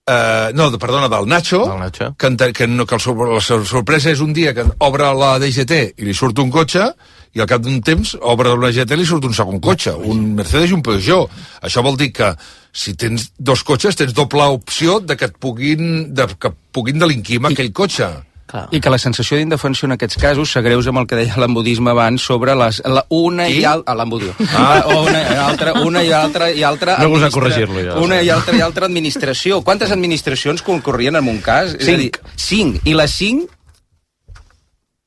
eh, no, perdona, del Nacho, Nacho. que, que, no, que el, la sorpresa és un dia que obre la D G T i li surt un cotxe, i al cap d'un temps obre la D G T i li surt un segon cotxe, un Mercedes i un Peugeot. Això vol dir que si tens dos cotxes tens doble opció de que et puguin, de, que puguin delinquir amb aquell cotxe. Clar. I que la sensació d'indefensió en aquests casos s'agreuja amb el que deia l'embudisme abans sobre les, la, una Qui? i altra... L'embudisme. Ah. Una, i altra, una i altra i altra... No gosa corregir-lo, ja. Una i altra i altra administració. Quantes administracions concorrien en un cas? Cinc. És a dir, cinc. I les cinc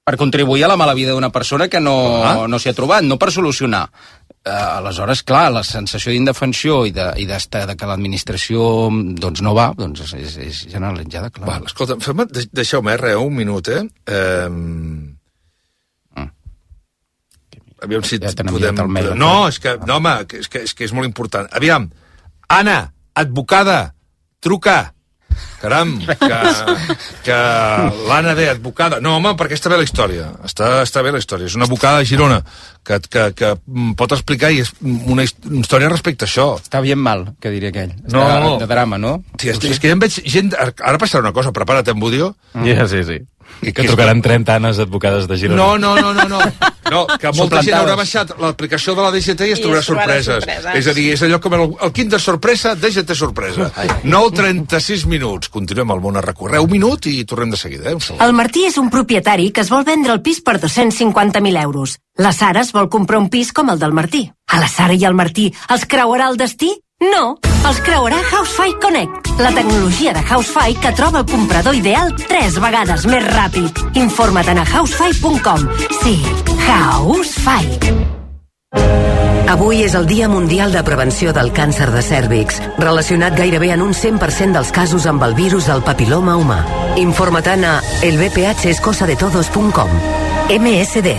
per contribuir a la mala vida d'una persona que no, ah. no s'hi ha trobat, no per solucionar. Uh, aleshores, clar, la sensació d'indefensió i, de, i de, de que l'administració doncs, no va, doncs és, és, és generalitzada, clar. Va, escolta, fem, deixeu-me res, un minut, eh? eh... Mm. Aviam si ja podem... Mail, no, és que, no, home, és que, és que és molt important. Aviam, Anna, advocada, truca. Caram, que, que l'Anna ve, advocada. No, home, perquè està bé la història. Està, està bé la història. És una advocada de Girona que, que, que pot explicar i és una història respecte a això. Està bien mal, que diria aquell. No. De, de drama, no? Sí, és, és que ja em veig gent... Ara passarà una cosa, prepara't, en Budio. Mm. Yeah, sí, sí. I que trucaran trenta Anes advocades de Girona. No, no, no, no, no. No, que molta gent haurà baixat l'aplicació de la D G T i es I trobarà sorpreses. sorpreses. És a dir, és allò com el, el Kinder sorpresa, D G T sorpresa. nou trenta-sis minuts. Continuem al món a recorrer. Un minut i tornem de seguida. Eh? El Martí és un propietari que es vol vendre el pis per dos-cents cinquanta mil euros. La Sara es vol comprar un pis com el del Martí. A la Sara i al Martí els creuarà el destí? No, els creuarà Housefy Connect, la tecnologia de Housefy que troba el comprador ideal tres vegades més ràpid. Informa't a housefy punt com. Sí, Housefy. Avui és el Dia Mundial de Prevenció del Càncer de Cèrvix, relacionat gairebé en un cent per cent dels casos amb el virus del papiloma humà. Informa't a el b p h es cosa de todos punt com. M S D.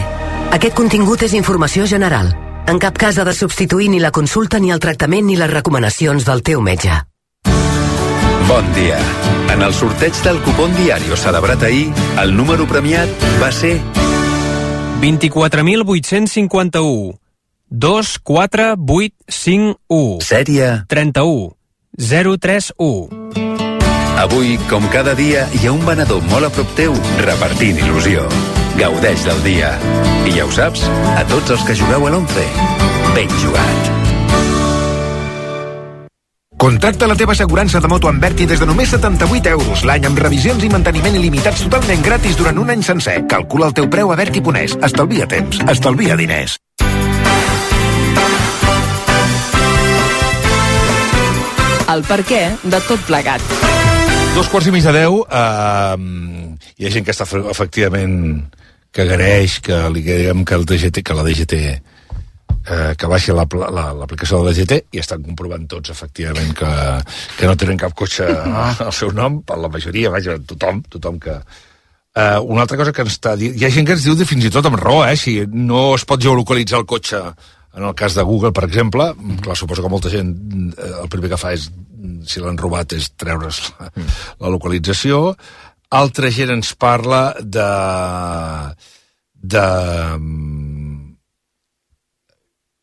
Aquest contingut és informació general. En cap cas ha de substituir ni la consulta, ni el tractament, ni les recomanacions del teu metge. Bon dia. En el sorteig del cupón diario celebrat ahir, el número premiat va ser... vint-i-quatre mil vuit-cents cinquanta-u. dos quatre vuit cinc u. Sèrie... trenta-u. zero tres u. Avui, com cada dia, hi ha un venedor molt a prop teu repartint il·lusió. Gaudeix del dia. I ja ho saps, a tots els que jugueu a l'onze, ben jugat. Contracta la teva assegurança de moto amb Berti des de només setanta-vuit euros l'any amb revisions i manteniment il·limitats totalment gratis durant un any sencer. Calcula el teu preu a Berti punt es. Estalvia temps, estalvia diners. El perquè de tot plegat. Dos quarts i mig de deu, eh, hi ha gent que està efectivament que agraeix que li diguem que el D G T, que la D G T eh, que baixi l'aplicació la, la, de la D G T i estan comprovant tots efectivament que, que no tenen cap cotxe al seu nom, per la majoria, vaja, tothom, tothom que... Eh, una altra cosa que ens està dient, hi ha gent que ens diu de fins i tot amb raó, eh, si no es pot geolocalitzar el cotxe en el cas de Google, per exemple, mm. clar, suposo que molta gent eh, el primer que fa és, si l'han robat, és treure's la, mm. la localització. Altra gent ens parla de... de...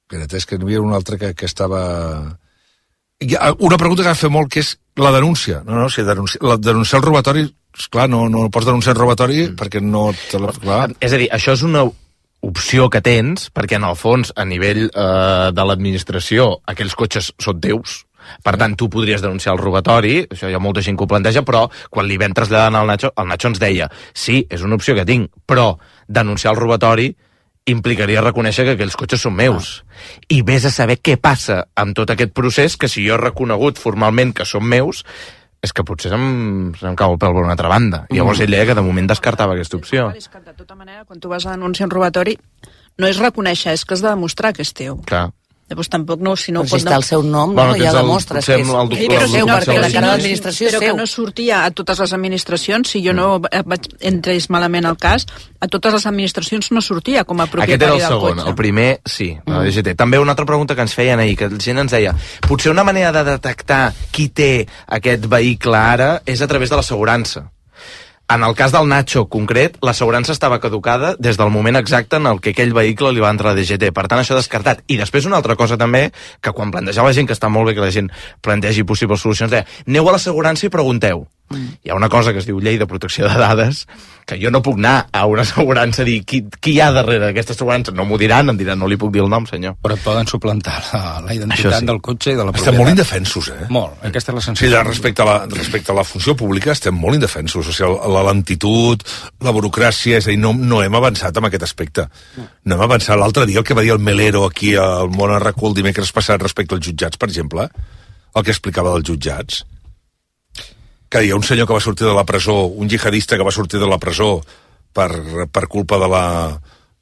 Espera't, és que n'hi havia una altra que, que estava... Una pregunta que va fer molt, que és la denúncia. No, no, si denunci... la, denunciar el robatori, esclar, no, no pots denunciar el robatori mm. perquè no... Te la... clar. És a dir, això és una opció que tens, perquè en el fons, a nivell eh, de l'administració, aquells cotxes són teus. Per tant, tu podries denunciar el robatori, això hi ha molta gent que ho planteja, però quan li vam traslladant al Nacho, el Nacho ens deia, sí, és una opció que tinc, però denunciar el robatori implicaria reconèixer que aquells cotxes són meus. Ah. I vés a saber què passa amb tot aquest procés, que si jo he reconegut formalment que són meus, és que potser se'm, se'm cau el pèl per una altra banda. I llavors ell deia que de moment descartava aquesta opció. És que de tota manera, quan tu vas a denunciar un robatori, no és reconèixer, és que has de demostrar que és teu. Clar. Llavors tampoc no... Si no però si està el seu nom, bueno, no, ja demostres que és, el, el, sí, però seu, no, perquè però la cara no, d'administració és però seu. que no sortia a totes les administracions, si jo no vaig, entrés malament al cas, a totes les administracions no sortia com a propietari del cotxe. Aquest era el segon, el primer sí, la D G T. També una altra pregunta que ens feien ahir, que la gent ens deia, potser una manera de detectar qui té aquest vehicle ara és a través de l'assegurança. En el cas del Nacho concret, l'assegurança estava caducada des del moment exacte en el que aquell vehicle li va entrar a D G T. Per tant, això descartat. I després una altra cosa també, que quan plantejava la gent, que està molt bé que la gent plantegi possibles solucions, deia, aneu a l'assegurança i pregunteu. Mm. Hi ha una cosa que es diu llei de protecció de dades, que jo no puc anar a una assegurança a dir qui, qui hi ha darrere d'aquesta assegurança. No m'ho diran, em diran, no li puc dir el nom, senyor. Però et poden suplantar la, la identitat sí. del cotxe i de la propietat. Estem molt indefensos, eh? Molt, aquesta és la sensació. Sí, respecte a la, respecte a la funció pública estem molt indefensos. O sigui, la lentitud, la burocràcia, és a dir, no, no hem avançat en aquest aspecte. No hem avançat. L'altre dia el que va dir el Melero aquí al Món Arracú el dimecres passat respecte als jutjats, per exemple, el que explicava dels jutjats, que hi ha un senyor que va sortir de la presó, un jihadista que va sortir de la presó per, per culpa de la,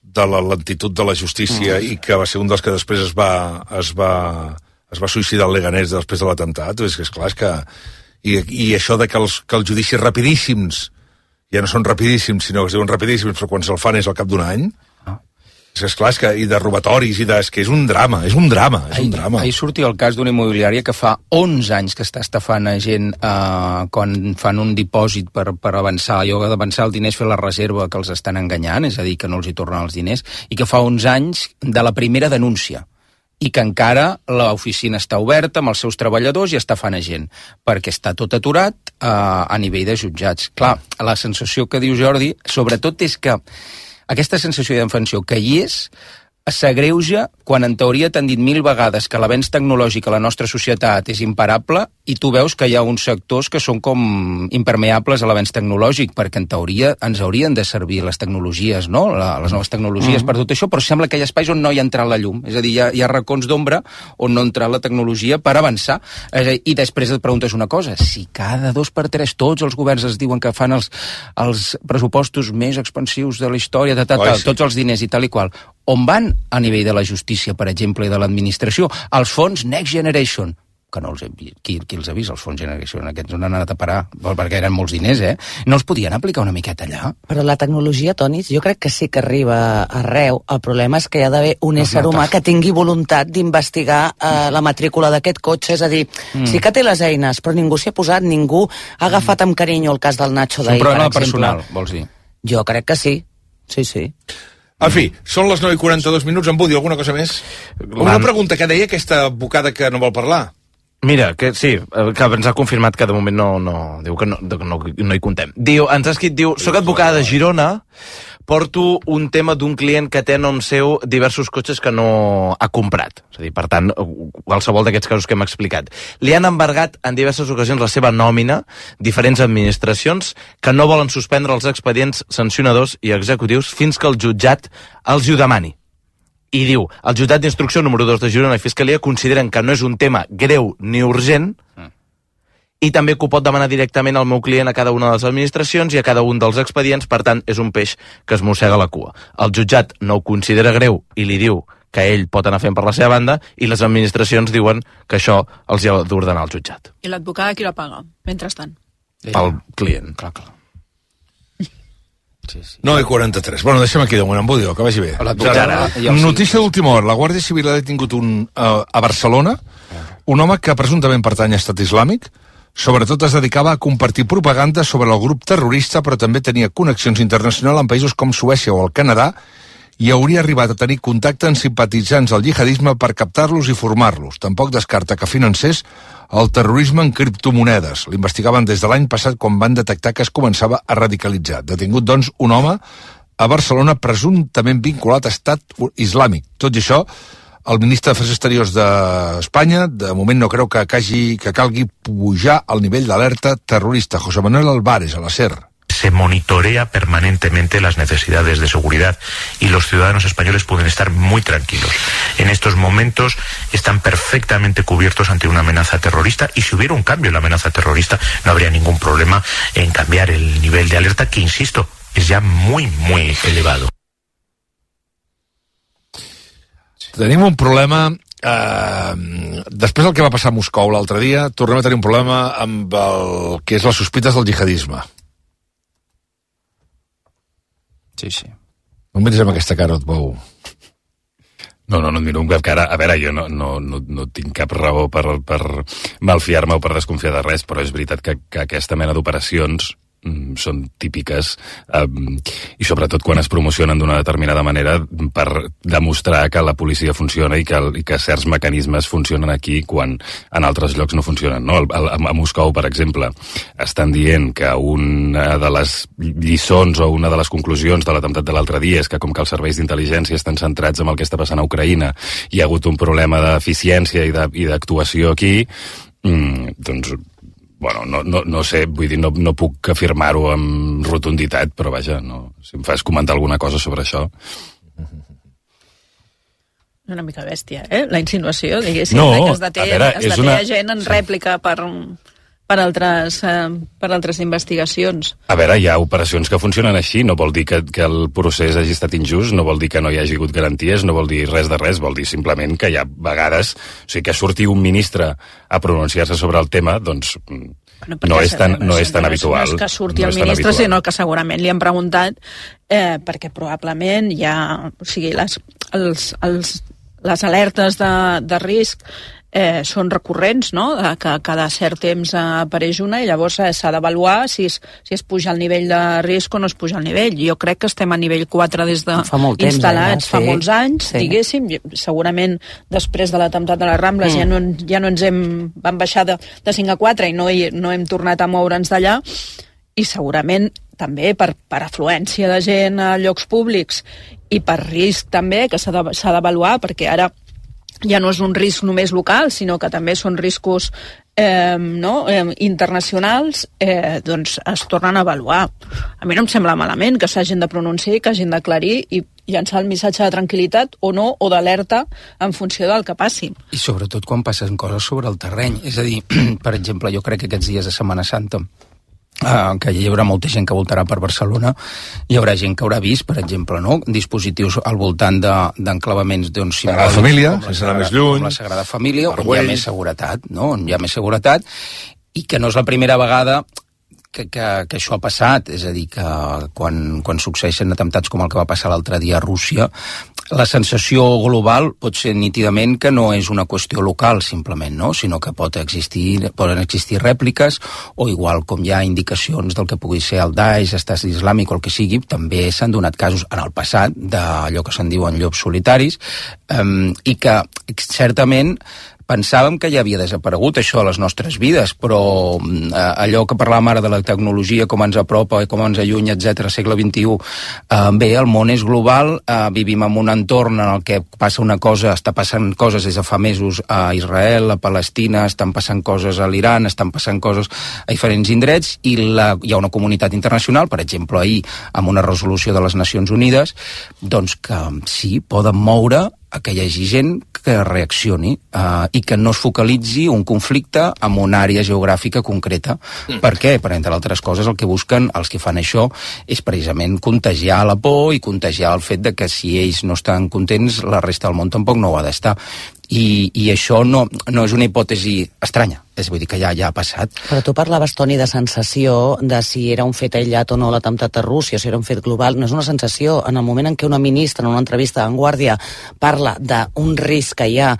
de la lentitud de la justícia mm. i que va ser un dels que després es va, es va, es va suïcidar al Leganés després de l'atemptat. És que, esclar, és que... I, i això de que els, que els judicis rapidíssims ja no són rapidíssims, sinó que es diuen rapidíssims, però quan se'l fan és al cap d'un any... És que, esclar, és que, i de robatoris, i de, és que és un drama, és un drama, és ahir, un drama. Ahir sortia el cas d'una immobiliària que fa onze anys que està estafant a gent eh, quan fan un dipòsit per, per avançar, allò d'avançar el diners, fer la reserva, que els estan enganyant, és a dir, que no els hi tornen els diners, i que fa onze anys de la primera denúncia, i que encara l'oficina està oberta amb els seus treballadors i està fan a gent, perquè està tot aturat eh, a nivell de jutjats. Clar, la sensació que diu Jordi, sobretot és que aquesta sensació d'indefensió que hi és, s'agreuja quan en teoria t'han dit mil vegades que l'avenç tecnològic a la nostra societat és imparable i tu veus que hi ha uns sectors que són com impermeables a l'avenç tecnològic, perquè en teoria ens haurien de servir les tecnologies, no? La, les noves tecnologies mm. per tot això, però sembla que hi ha espais on no hi ha entrat la llum. És a dir, hi ha, hi ha racons d'ombra on no ha entrat la tecnologia per avançar. És a dir, i després et preguntes una cosa, si cada dos per tres tots els governs es diuen que fan els, els pressupostos més expansius de la història, de tal, tal, tots els diners i tal i qual, on van a nivell de la justícia, per exemple, i de l'administració? Els fons Next Generation, que no els he vist. Qui, qui els ha vist, els fons Generation? Aquests on han anat a parar, perquè eren molts diners, eh? No els podien aplicar una miqueta allà? Però la tecnologia, Toni, jo crec que sí que arriba arreu. El problema és que hi ha d'haver un ésser humà que tingui voluntat d'investigar eh, la matrícula d'aquest cotxe. És a dir, mm. sí que té les eines, però ningú s'hi ha posat, ningú ha agafat amb carinyo el cas del Nacho d'ahir, per exemple. És un problema personal, vols dir? Jo crec que sí. Sí, sí. En fi, són les nou i quaranta-dos minuts. En Budi, alguna cosa més? Una pregunta que deia aquesta bocada que no vol parlar. Mira, que sí, que ens ha confirmat que de moment no, no diu que no, no, no hi contem. Diu, ens ha escrit, diu, soc advocada de Girona, porto un tema d'un client que té a nom seu diversos cotxes que no ha comprat. És a dir, per tant, qualsevol d'aquests casos que hem explicat. Li han embargat en diverses ocasions la seva nòmina, diferents administracions, que no volen suspendre els expedients sancionadors i executius fins que el jutjat els hi demani. I diu, el jutjat d'instrucció número dos de Girona i Fiscalia consideren que no és un tema greu ni urgent mm. i també que ho pot demanar directament al meu client a cada una de les administracions i a cada un dels expedients, per tant, és un peix que es mossega la cua. El jutjat no ho considera greu i li diu que ell pot anar fent per la seva banda i les administracions diuen que això els hi ha d'ordenar el jutjat. I l'advocada qui la paga, mentrestant? Pel client. Clar, clar. Sí, sí. nou i quaranta-tres. Bueno, deixem aquí de moment, en Budi, que vagi bé. Notícia d'última hora. La Guàrdia Civil ha detingut un, uh, a Barcelona un home que presumptament pertany a Estat Islàmic. Sobretot es dedicava a compartir propaganda sobre el grup terrorista, però també tenia connexions internacionals en països com Suècia o el Canadà i hauria arribat a tenir contacte amb simpatitzants del jihadisme per captar-los i formar-los. Tampoc descarta que financés el terrorisme en criptomonedes. L'investigaven des de l'any passat quan van detectar que es començava a radicalitzar. Detingut, doncs, un home a Barcelona presumptament vinculat a Estat Islàmic. Tot i això, el ministre d'Afers Exteriors d'Espanya de moment no creu que, hagi, que calgui pujar al nivell d'alerta terrorista. José Manuel Álvarez, a la SER. Se monitorea permanentemente las necesidades de seguridad y los ciudadanos españoles pueden estar muy tranquilos. En estos momentos están perfectamente cubiertos ante una amenaza terrorista y si hubiera un cambio en la amenaza terrorista no habría ningún problema en cambiar el nivel de alerta que, insisto, es ya muy, muy elevado. Tenim un problema... Eh, després del que va passar a Moscou l'altre dia, tornem a tenir un problema amb el que és les sospites del jihadisme. Sí, sí. No em miris amb aquesta cara, Otbou. No, no, no et miro amb cap cara. A veure, jo no, no, no, no tinc cap raó per, per malfiar-me o per desconfiar de res, però és veritat que, que aquesta mena d'operacions mm, són típiques eh, i sobretot quan es promocionen d'una determinada manera per demostrar que la policia funciona i que, i que certs mecanismes funcionen aquí quan en altres llocs no funcionen, no? A, a, a Moscou, per exemple, estan dient que una de les lliçons o una de les conclusions de l'atemptat de l'altre dia és que com que els serveis d'intel·ligència estan centrats en el que està passant a Ucraïna, hi ha hagut un problema d'eficiència i d'actuació aquí, mm, doncs bueno, no, no, no sé, vull dir, no, no puc afirmar-ho amb rotunditat, però vaja, no, si em fas comentar alguna cosa sobre això. Una mica bèstia, eh? La insinuació, diguéssim, no, que es deté, veure, es deté una... gent en rèplica per, per, altres, eh, per altres investigacions. A veure, hi ha operacions que funcionen així, no vol dir que, que el procés hagi estat injust, no vol dir que no hi hagi hagut garanties, no vol dir res de res, vol dir simplement que hi ha vegades, o sigui, que surti un ministre a pronunciar-se sobre el tema, doncs bueno, no és tan, no és tan no habitual. No és que surti no el ministre, sinó que segurament li han preguntat eh, perquè probablement hi ha, o sigui, les, els, els, les alertes de, de risc Eh, són recurrents, no? Que cada cert temps eh, apareix una i llavors eh, s'ha d'avaluar si, es, si es puja el nivell de risc o no es puja el nivell. Jo crec que estem a nivell quatre des de fa molt temps, instal·lats eh? fa sí. molts anys, sí. diguéssim. Segurament després de l'atemptat de les Rambles mm. ja, no, ja no ens hem... vam baixar de, de cinc a quatre i no, hi, no hem tornat a moure'ns d'allà i segurament també per, per afluència de gent a llocs públics i per risc també que s'ha d'avaluar, perquè ara ja no és un risc només local, sinó que també són riscos eh, no, eh, internacionals, eh, doncs es tornen a avaluar. A mi no em sembla malament que s'hagin de pronunciar i que hagin d'aclarir i llançar el missatge de tranquil·litat o no, o d'alerta en funció del que passi. I sobretot quan passen coses sobre el terreny. És a dir, per exemple, jo crec que aquests dies de Setmana Santa Uh, que hi haurà molta gent que voltarà per Barcelona, hi haurà gent que haurà vist, per exemple, no? dispositius al voltant d'enclavaments de, doncs, la família, sense anar més lluny, com la Sagrada Família, on hi ha més seguretat, no? on hi ha més seguretat, i que no és la primera vegada que, que, que això ha passat, és a dir, que quan, quan succeeixen atemptats com el que va passar l'altre dia a Rússia, la sensació global pot ser nítidament que no és una qüestió local, simplement, no? sinó que pot existir, poden existir rèpliques, o igual com hi ha indicacions del que pugui ser el Daesh, Estat Islàmic o el que sigui, també s'han donat casos en el passat d'allò que se'n diuen llops solitaris, um, i que certament pensàvem que ja havia desaparegut això a les nostres vides, però eh, allò que parlàvem ara de la tecnologia, com ens apropa i com ens allunya, etcètera, segle vint-i-u, eh, bé, el món és global, eh, vivim en un entorn en el que passa una cosa, està passant coses des de fa mesos a Israel, a Palestina, estan passant coses a l'Iran, estan passant coses a diferents indrets, i la, hi ha una comunitat internacional, per exemple, ahir, amb una resolució de les Nacions Unides, doncs que sí, poden moure a que hi hagi gent que reaccioni uh, i que no es focalitzi un conflicte en una àrea geogràfica concreta. Mm. Per què? Per, entre altres coses, el que busquen els que fan això és precisament contagiar la por i contagiar el fet de que si ells no estan contents, la resta del món tampoc no ho ha d'estar. I, i això no, no és una hipòtesi estranya, és vull dir que ja, ja ha passat. Però tu parlaves, Toni, de sensació de si era un fet aïllat o no l'atemptat a Rússia, si era un fet global. No és una sensació. En el moment en què una ministra en una entrevista a Vanguardia parla d'un risc que hi ha,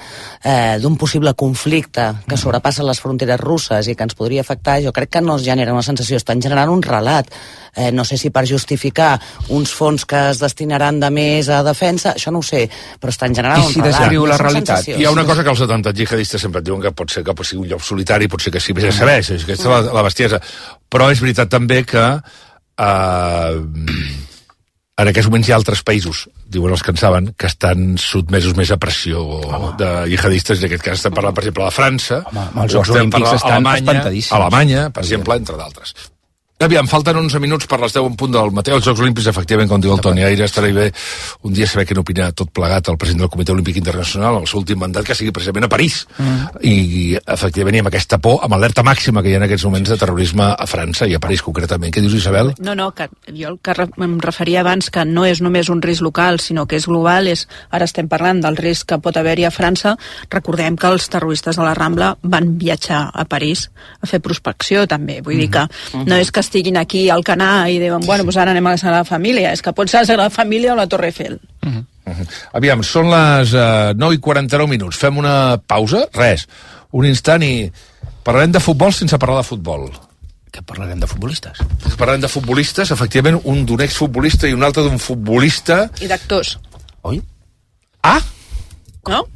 eh, d'un possible conflicte que sobrepassa les fronteres russes i que ens podria afectar, jo crec que no es genera una sensació, estan generant un relat. Eh, no sé si per justificar uns fons que es destinaran de més a defensa, això no ho sé, però estan generant un relat. I si descriu la realitat? Hi ha una cosa que els atemptats jihadistes sempre et diuen que pot ser que pot ser un lloc solitari, pot ser que sí, vés a saber, és aquesta la, la bestiesa. Però és veritat també que eh, en aquests moments hi ha altres països, diuen els que en saben, que estan sotmesos més a pressió Home. de jihadistes, en aquest cas estem parlant, per exemple, de França, Home, els Jocs Olímpics estan espantadíssims. Alemanya, per exemple, entre d'altres. Aviam, falten onze minuts per les deu en punt del matí. Els Jocs Olímpics, efectivament, com diu el Toni Aire, estarà bé un dia saber què n'opina tot plegat el president del Comitè Olímpic Internacional, el seu últim mandat, que sigui precisament a París. Mm. I, efectivament, i amb aquesta por, amb alerta màxima que hi ha en aquests moments de terrorisme a França i a París, concretament. Què dius, Isabel? No, no, que jo el que em referia abans, que no és només un risc local, sinó que és global, és, ara estem parlant del risc que pot haver-hi a França. Recordem que els terroristes de la Rambla van viatjar a París a fer prospecció, també. Vull mm. dir que no és que estiguin aquí al Canà i diuen, bueno, doncs ara anem a la Sagrada Família. És que pot ser la Sagrada Família o la Torre Eiffel. Uh -huh. Uh -huh. Aviam, són les uh, nou i quaranta-nou minuts. Fem una pausa? Res. Un instant i parlarem de futbol sense parlar de futbol. Que parlarem de futbolistes? Parlarem de futbolistes, efectivament, un d'un exfutbolista i un altre d'un futbolista. I d'actors. Oi? Ah! No?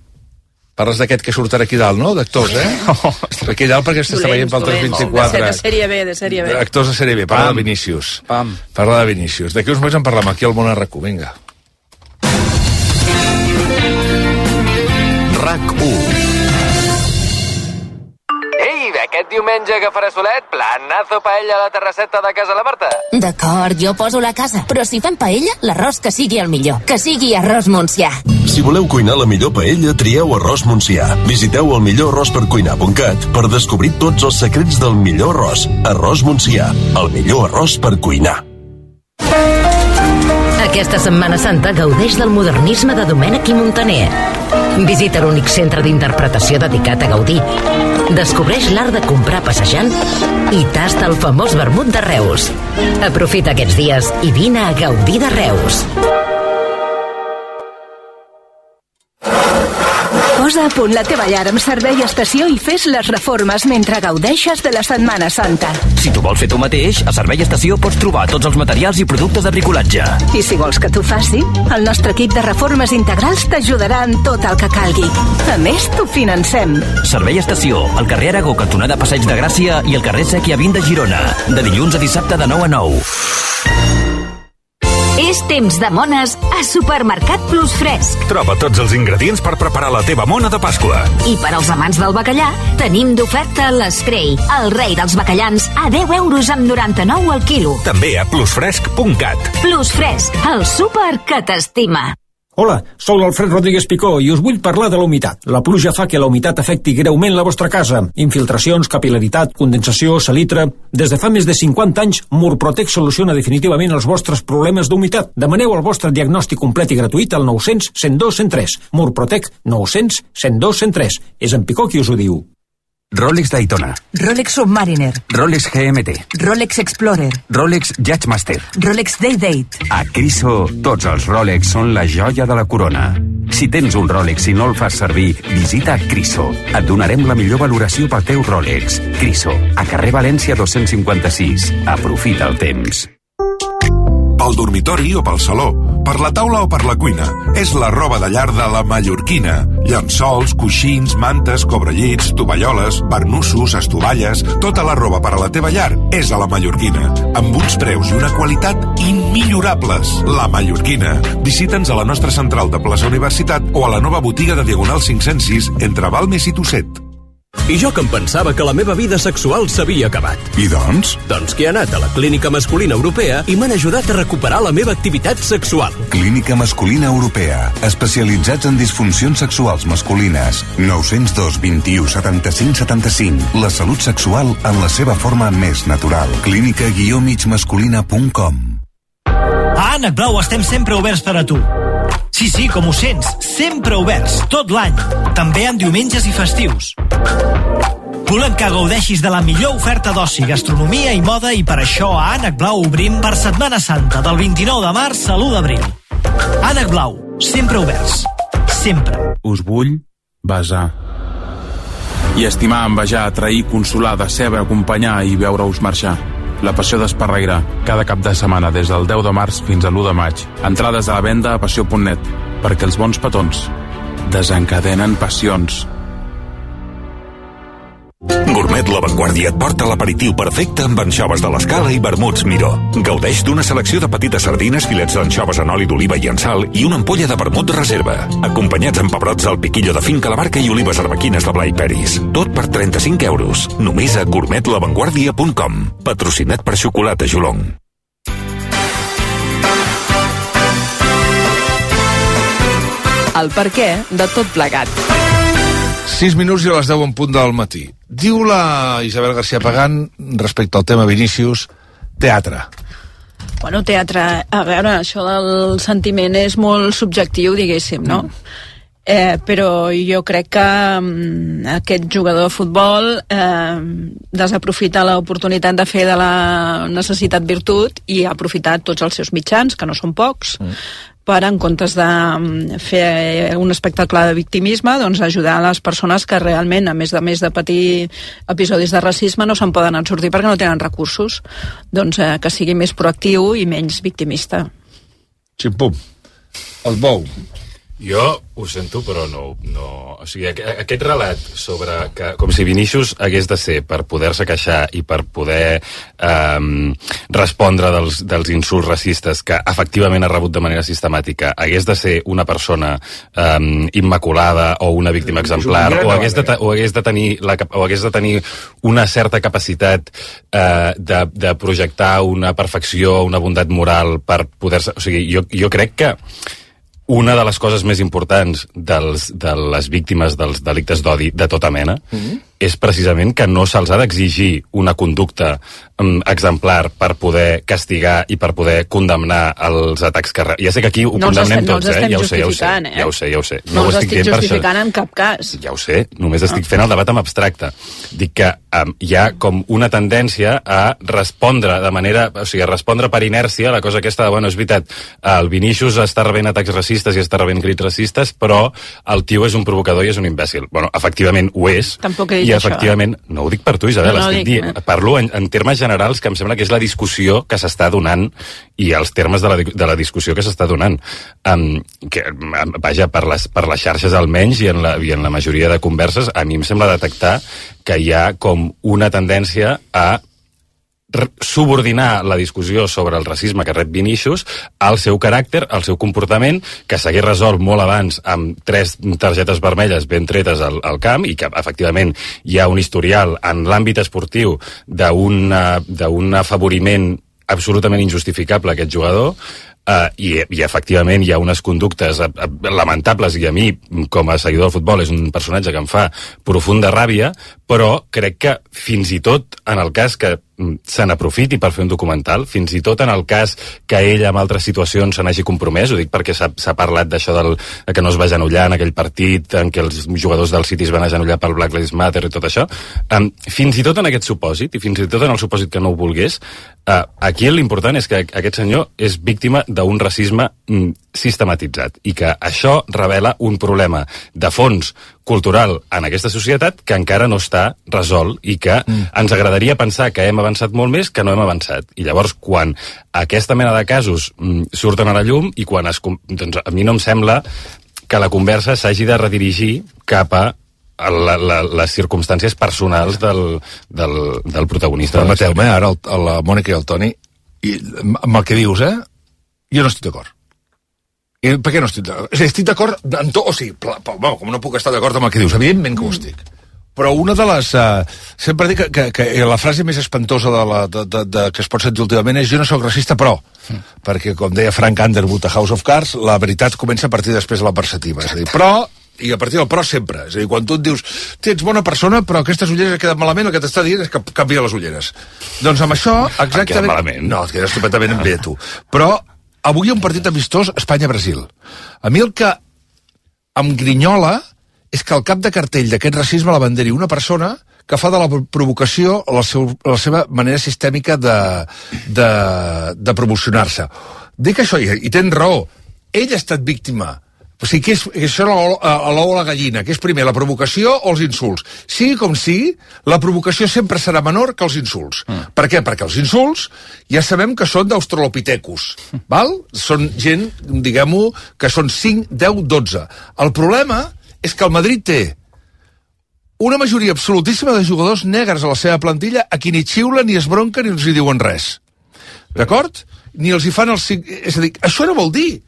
Parles d'aquest que surt aquí dalt, no? D'actors, eh? Oh, aquí dalt perquè s'està veient pel tres vint-i-quatre. De sèrie B, de sèrie B. Actors de sèrie B, parla de Vinícius. Pam. Parla de Vinícius. D'aquí uns moments en parlem aquí al Món a RAC u, vinga. RAC u. Ei, aquest diumenge que farà solet, planazo paella a la terrasseta de casa la Marta. D'acord, jo poso la casa, però si fem paella, l'arròs que sigui el millor, que sigui arròs Montsià. Si voleu cuinar la millor paella, trieu Arròs Montsià. Visiteu el millor arròs per cuinar punt cat per descobrir tots els secrets del millor arròs. Arròs Montsià, el millor arròs per cuinar. Aquesta Setmana Santa gaudeix del modernisme de Domènech i Montaner. Visita l'únic centre d'interpretació dedicat a Gaudí. Descobreix l'art de comprar passejant i tasta el famós vermut de Reus. Aprofita aquests dies i vine a gaudir de Reus. Posa a punt la teva llar amb servei estació i fes les reformes mentre gaudeixes de la Setmana Santa. Si tu vols fer tu mateix, a Servei Estació pots trobar tots els materials i productes de bricolatge. I si vols que t'ho faci, el nostre equip de reformes integrals t'ajudarà en tot el que calgui. A més, t'ho financem. Servei Estació, al carrer Aragó, cantonada Passeig de Gràcia i al carrer Sèquia vint de Girona. De dilluns a dissabte de nou a nou. És temps de mones a Supermercat Plus Fresc. Troba tots els ingredients per preparar la teva mona de Pasqua. I per als amants del bacallà, tenim d'oferta l'Escrei, el rei dels bacallans, a deu euros amb noranta-nou al quilo. També a plusfresc punt cat. Plus Fresc, el súper que t'estima. Hola, sóc l'Alfred Rodríguez Picó i us vull parlar de la humitat. La pluja fa que la humitat afecti greument la vostra casa. Infiltracions, capilaritat, condensació, salitre... Des de fa més de cinquanta anys, Murprotec soluciona definitivament els vostres problemes d'humitat. Demaneu el vostre diagnòstic complet i gratuït al nou cents, cent dos, cent tres. Murprotec nou cents, cent dos, cent tres. És en Picó qui us ho diu. Rolex Daytona, Rolex Submariner, Rolex G M T, Rolex Explorer, Rolex Judgemaster, Rolex Day-Date. A Criso, tots els Rolex són la joia de la corona. Si tens un Rolex i no el fas servir, visita Criso. Et donarem la millor valoració pel teu Rolex. Criso, a carrer València dos-cents cinquanta-sis. Aprofita el temps. Pel dormitori o pel saló, per la taula o per la cuina. És la roba de llar de la Mallorquina. Llençols, coixins, mantes, cobrellits, tovalloles, barnussos, estovalles... Tota la roba per a la teva llar és a la Mallorquina. Amb uns preus i una qualitat immillorables. La Mallorquina. Visita'ns a la nostra central de plaça Universitat o a la nova botiga de Diagonal cinc-cents sis entre Balmes i Tosset. I jo que em pensava que la meva vida sexual s'havia acabat. I doncs? Doncs que he anat a la Clínica Masculina Europea i m'han ajudat a recuperar la meva activitat sexual. Clínica Masculina Europea. Especialitzats en disfuncions sexuals masculines. nou zero dos, vint-i-u, setanta-cinc, setanta-cinc. La salut sexual en la seva forma més natural. clínica guió mig masculina punt com. A Ànec Blau estem sempre oberts per a tu. Sí, sí, com ho sents, sempre oberts, tot l'any, també en diumenges i festius. Volem que gaudeixis de la millor oferta d'oci, gastronomia i moda i per això a Ànec Blau obrim per Setmana Santa, del vint-i-nou de març a l'u d'abril. Ànec Blau, sempre oberts, sempre. Us vull besar. I estimar, envejar, atrair, consolar, decebre, acompanyar i veure-us marxar. La passió d'Esparreguera, cada cap de setmana des del deu de març fins a l'u de maig. Entrades a la venda a passió punt net, perquè els bons petons desencadenen passions. Gourmet La Vanguardia Vanguardia et porta l'aperitiu perfecte amb anxoves de l'Escala i vermuts Miró. Gaudeix d'una selecció de petites sardines, filets d'anxoves en oli d'oliva i en sal i una ampolla de vermut reserva. Acompanyats amb pebrots del piquillo de finca la barca i olives arbequines de Blai Peris. Tot per trenta-cinc euros. Només a gourmet la vanguardia punt com. Patrocinat per Xocolata Jolong. El perquè de tot plegat. sis minuts i a les deu en punt del matí. Diu la Isabel García Pagán, respecte al tema Vinícius, teatre. Bueno, teatre, a veure, això del sentiment és molt subjectiu, diguéssim, no? Mm. Eh, però jo crec que um, aquest jugador de futbol eh, desaprofita l'oportunitat de fer de la necessitat virtut i ha aprofitat tots els seus mitjans, que no són pocs, mm. per, en comptes de fer un espectacle de victimisme, doncs ajudar a les persones que realment, a més de més de patir episodis de racisme, no se'n poden sortir perquè no tenen recursos. Doncs eh, que sigui més proactiu i menys victimista. Ximpum. El bou. Jo ho sento, però no... no o sigui, aquest relat sobre que, com si Vinícius hagués de ser per poder-se queixar i per poder eh, respondre dels, dels insults racistes que efectivament ha rebut de manera sistemàtica, hagués de ser una persona eh, immaculada o una víctima exemplar, o hagués de, o hagués de, tenir, la, o hagués de tenir una certa capacitat eh, de, de projectar una perfecció, una bondat moral per poder-se... O sigui, jo, jo crec que una de les coses més importants dels, de les víctimes dels delictes d'odi de tota mena mm-hmm. és precisament que no se'ls ha d'exigir una conducta um, exemplar per poder castigar i per poder condemnar els atacs que... Ja sé que aquí ho no condemnem estem, tots, no eh? Ja ho sé, ja ho sé, eh? ja ho sé, ja ho sé. No, no ho estic justificant en cap cas. Ja ho sé, només estic fent el debat en abstracte. Dic que um, hi ha com una tendència a respondre de manera... O sigui, a respondre per inèrcia a la cosa aquesta de, bueno, és veritat, el Vinícius està rebent atacs racistes i està rebent crits racistes, però el tio és un provocador i és un imbècil. Bueno, efectivament ho és. Tampoc he dit I efectivament, això, eh? No ho dic per tu, Isabel, no, no estic dient, parlo en, en termes generals que em sembla que és la discussió que s'està donant i els termes de la, de la discussió que s'està donant. Um, que, vaja, per les, per les xarxes almenys i en, la, i en la majoria de converses, a mi em sembla detectar que hi ha com una tendència a subordinar la discussió sobre el racisme que rep Vinícius al seu caràcter, al seu comportament, que s'hagués resolt molt abans amb tres targetes vermelles ben tretes al, al camp i que efectivament hi ha un historial en l'àmbit esportiu d'un afavoriment absolutament injustificable a aquest jugador. Uh, i, i efectivament hi ha unes conductes uh, uh, lamentables i a mi com a seguidor del futbol és un personatge que em fa profunda ràbia, però crec que fins i tot en el cas que se n'aprofiti per fer un documental, fins i tot en el cas que ell en altres situacions se n'hagi compromès, ho dic perquè s'ha parlat d'això del, que no es va agenollar en aquell partit en què els jugadors del City es van agenollar pel Black Lives Matter i tot això, um, fins i tot en aquest supòsit, i fins i tot en el supòsit que no ho volgués, uh, aquí l'important és que aquest senyor és víctima d'un racisme mm, sistematitzat i que això revela un problema de fons cultural en aquesta societat que encara no està resolt i que mm. ens agradaria pensar que hem avançat molt més que no hem avançat. I llavors, quan aquesta mena de casos mm, surten a la llum i quan es... Doncs a mi no em sembla que la conversa s'hagi de redirigir cap a la, la, les circumstàncies personals del, del, del protagonista. Permeteu-me, ara el, la Mònica i el Toni, i, amb el que dius, eh? Jo no estic d'acord. I per què no estic d'acord? Estic d'acord en tot, o sigui, pla, pla, bueno, com no puc estar d'acord amb el que dius, evidentment que ho estic. Però una de les... Uh, sempre dic que, que, que la frase més espantosa de la, de, de, de, que es pot sentir últimament és jo no sóc racista, però... Mm. Perquè, com deia Frank Underwood a House of Cards, la veritat comença a partir després de la perceptiva. És a dir, però... I a partir del però sempre. És a dir, quan tu et dius ets bona persona, però aquestes ulleres queden malament, el que t'està dient és que canvia les ulleres. Doncs amb això, exactament... Queda malament. No, et quedes estupendament bé, tu. Però avui hi ha un partit amistós Espanya-Brasil. A mi el que em grinyola és que al cap de cartell d'aquest racisme l'abanderi una persona que fa de la provocació la, seu, la seva manera sistèmica de, de, de promocionar-se. Dic això, i, i tens raó, ell ha estat víctima. O sigui, que és, que això a l'ou o la gallina, que és primer la provocació o els insults. Sigui com sigui, la provocació sempre serà menor que els insults. Mm. Per què? Perquè els insults ja sabem que són d'australopitecus, val? Són gent, diguem-ho, que són cinc, deu, dotze. El problema és que el Madrid té una majoria absolutíssima de jugadors negres a la seva plantilla a qui ni xiulen, ni es bronquen, ni els hi diuen res. D'acord? Ni els hi fan el... És a dir, això no vol dir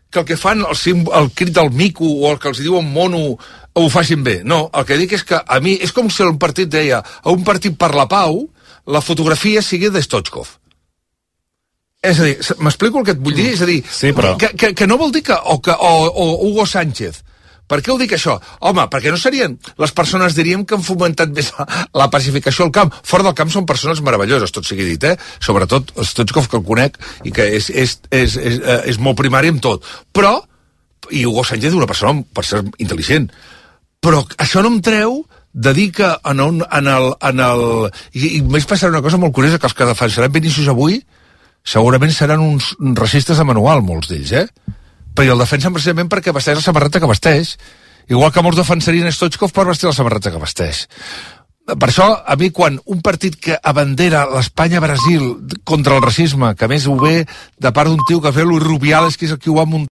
que el que fan el, el crit del mico o el que els diuen mono ho facin bé. No, el que dic és que a mi és com si un partit deia a un partit per la pau la fotografia sigui de Stoichkov. És a dir, m'explico el que et vull dir? És a dir, sí, però... que, que, que no vol dir que... O, que, o, o Hugo Sánchez. Per què ho dic això? Home, perquè no serien... Les persones diríem que han fomentat més la, la pacificació al camp. Fora del camp són persones meravelloses, tot sigui dit, eh? Sobretot Stoichkov, que el conec i que és, és, és, és, és molt primari en tot. Però, i Hugo Sánchez és una persona, per ser intel·ligent, però això no em treu de dir que en, un, en el... En el i, i més passarà una cosa molt curiosa, que els que defensaran Vinícius avui segurament seran uns racistes de manual, molts d'ells, eh? Però el defensen precisament perquè vesteix la samarreta que vesteix. Igual que molts defensarien Stoichkov per vestir la samarreta que vesteix. Per això, a mi, quan un partit que abandera l'Espanya-Brasil contra el racisme, que més ho ve de part d'un tio que fa Luis Rubiales, que és el que ho va muntar